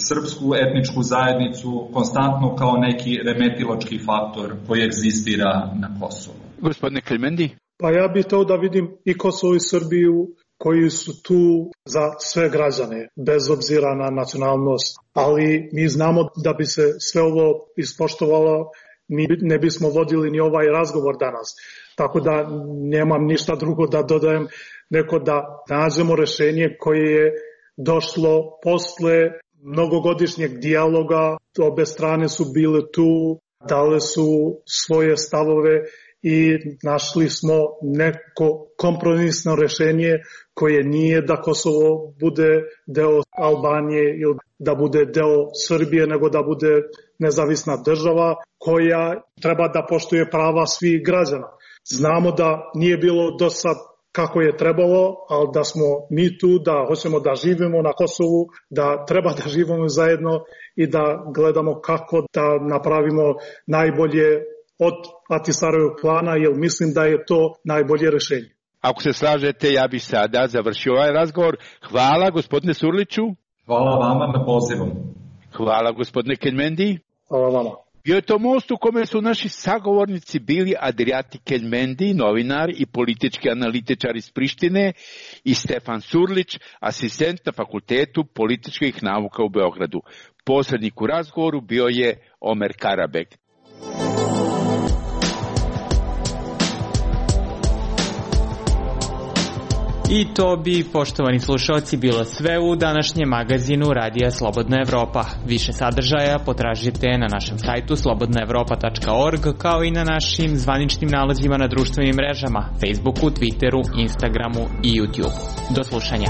srpsku etničku zajednicu konstantno kao neki remetilački faktor koji egzistira na Kosovu. Gospodine Keljmendi? Pa ja bih hteo da vidim i Kosovo i Srbiju koji su tu za sve građane, bez obzira na nacionalnost. Ali mi znamo da bi se sve ovo ispoštovalo, mi ne bismo vodili ni ovaj razgovor danas. Tako da nemam ništa drugo da dodajem, nego da nađemo rešenje koje je došlo posle mnogogodišnjeg dijaloga. Obe strane su bile tu, dale su svoje stavove i našli smo neko kompromisno rešenje koje nije da Kosovo bude deo Albanije ili da bude deo Srbije, nego da bude nezavisna država koja treba da poštuje prava svih građana. Znamo da nije bilo do sad kako je trebalo, ali da smo mi tu, da hoćemo da živimo na Kosovu, da treba da živimo zajedno i da gledamo kako da napravimo najbolje od Ahtisarijevog plana, jer mislim da je to najbolje rešenje. Ako se slažete, ja bih sada završio ovaj razgovor. Hvala gospodine Surliću. Hvala vama na pozivom. Hvala gospodine Keljmendi. Hvala vama. Bio je to most u kome su naši sagovornici bili Adriati Keljmendi, novinar i politički analitičar iz Prištine, i Stefan Surlić, asistent na Fakultetu političkih nauka u Beogradu. Posrednik u razgovoru bio je Omer Karabek. I to bi, poštovani slušalci, bilo sve u današnjem magazinu Radija Slobodna Evropa. Više sadržaja potražite na našem sajtu slobodnaevropa.org, kao i na našim zvaničnim nalazima na društvenim mrežama, Facebooku, Twitteru, Instagramu i YouTubeu. Do slušanja.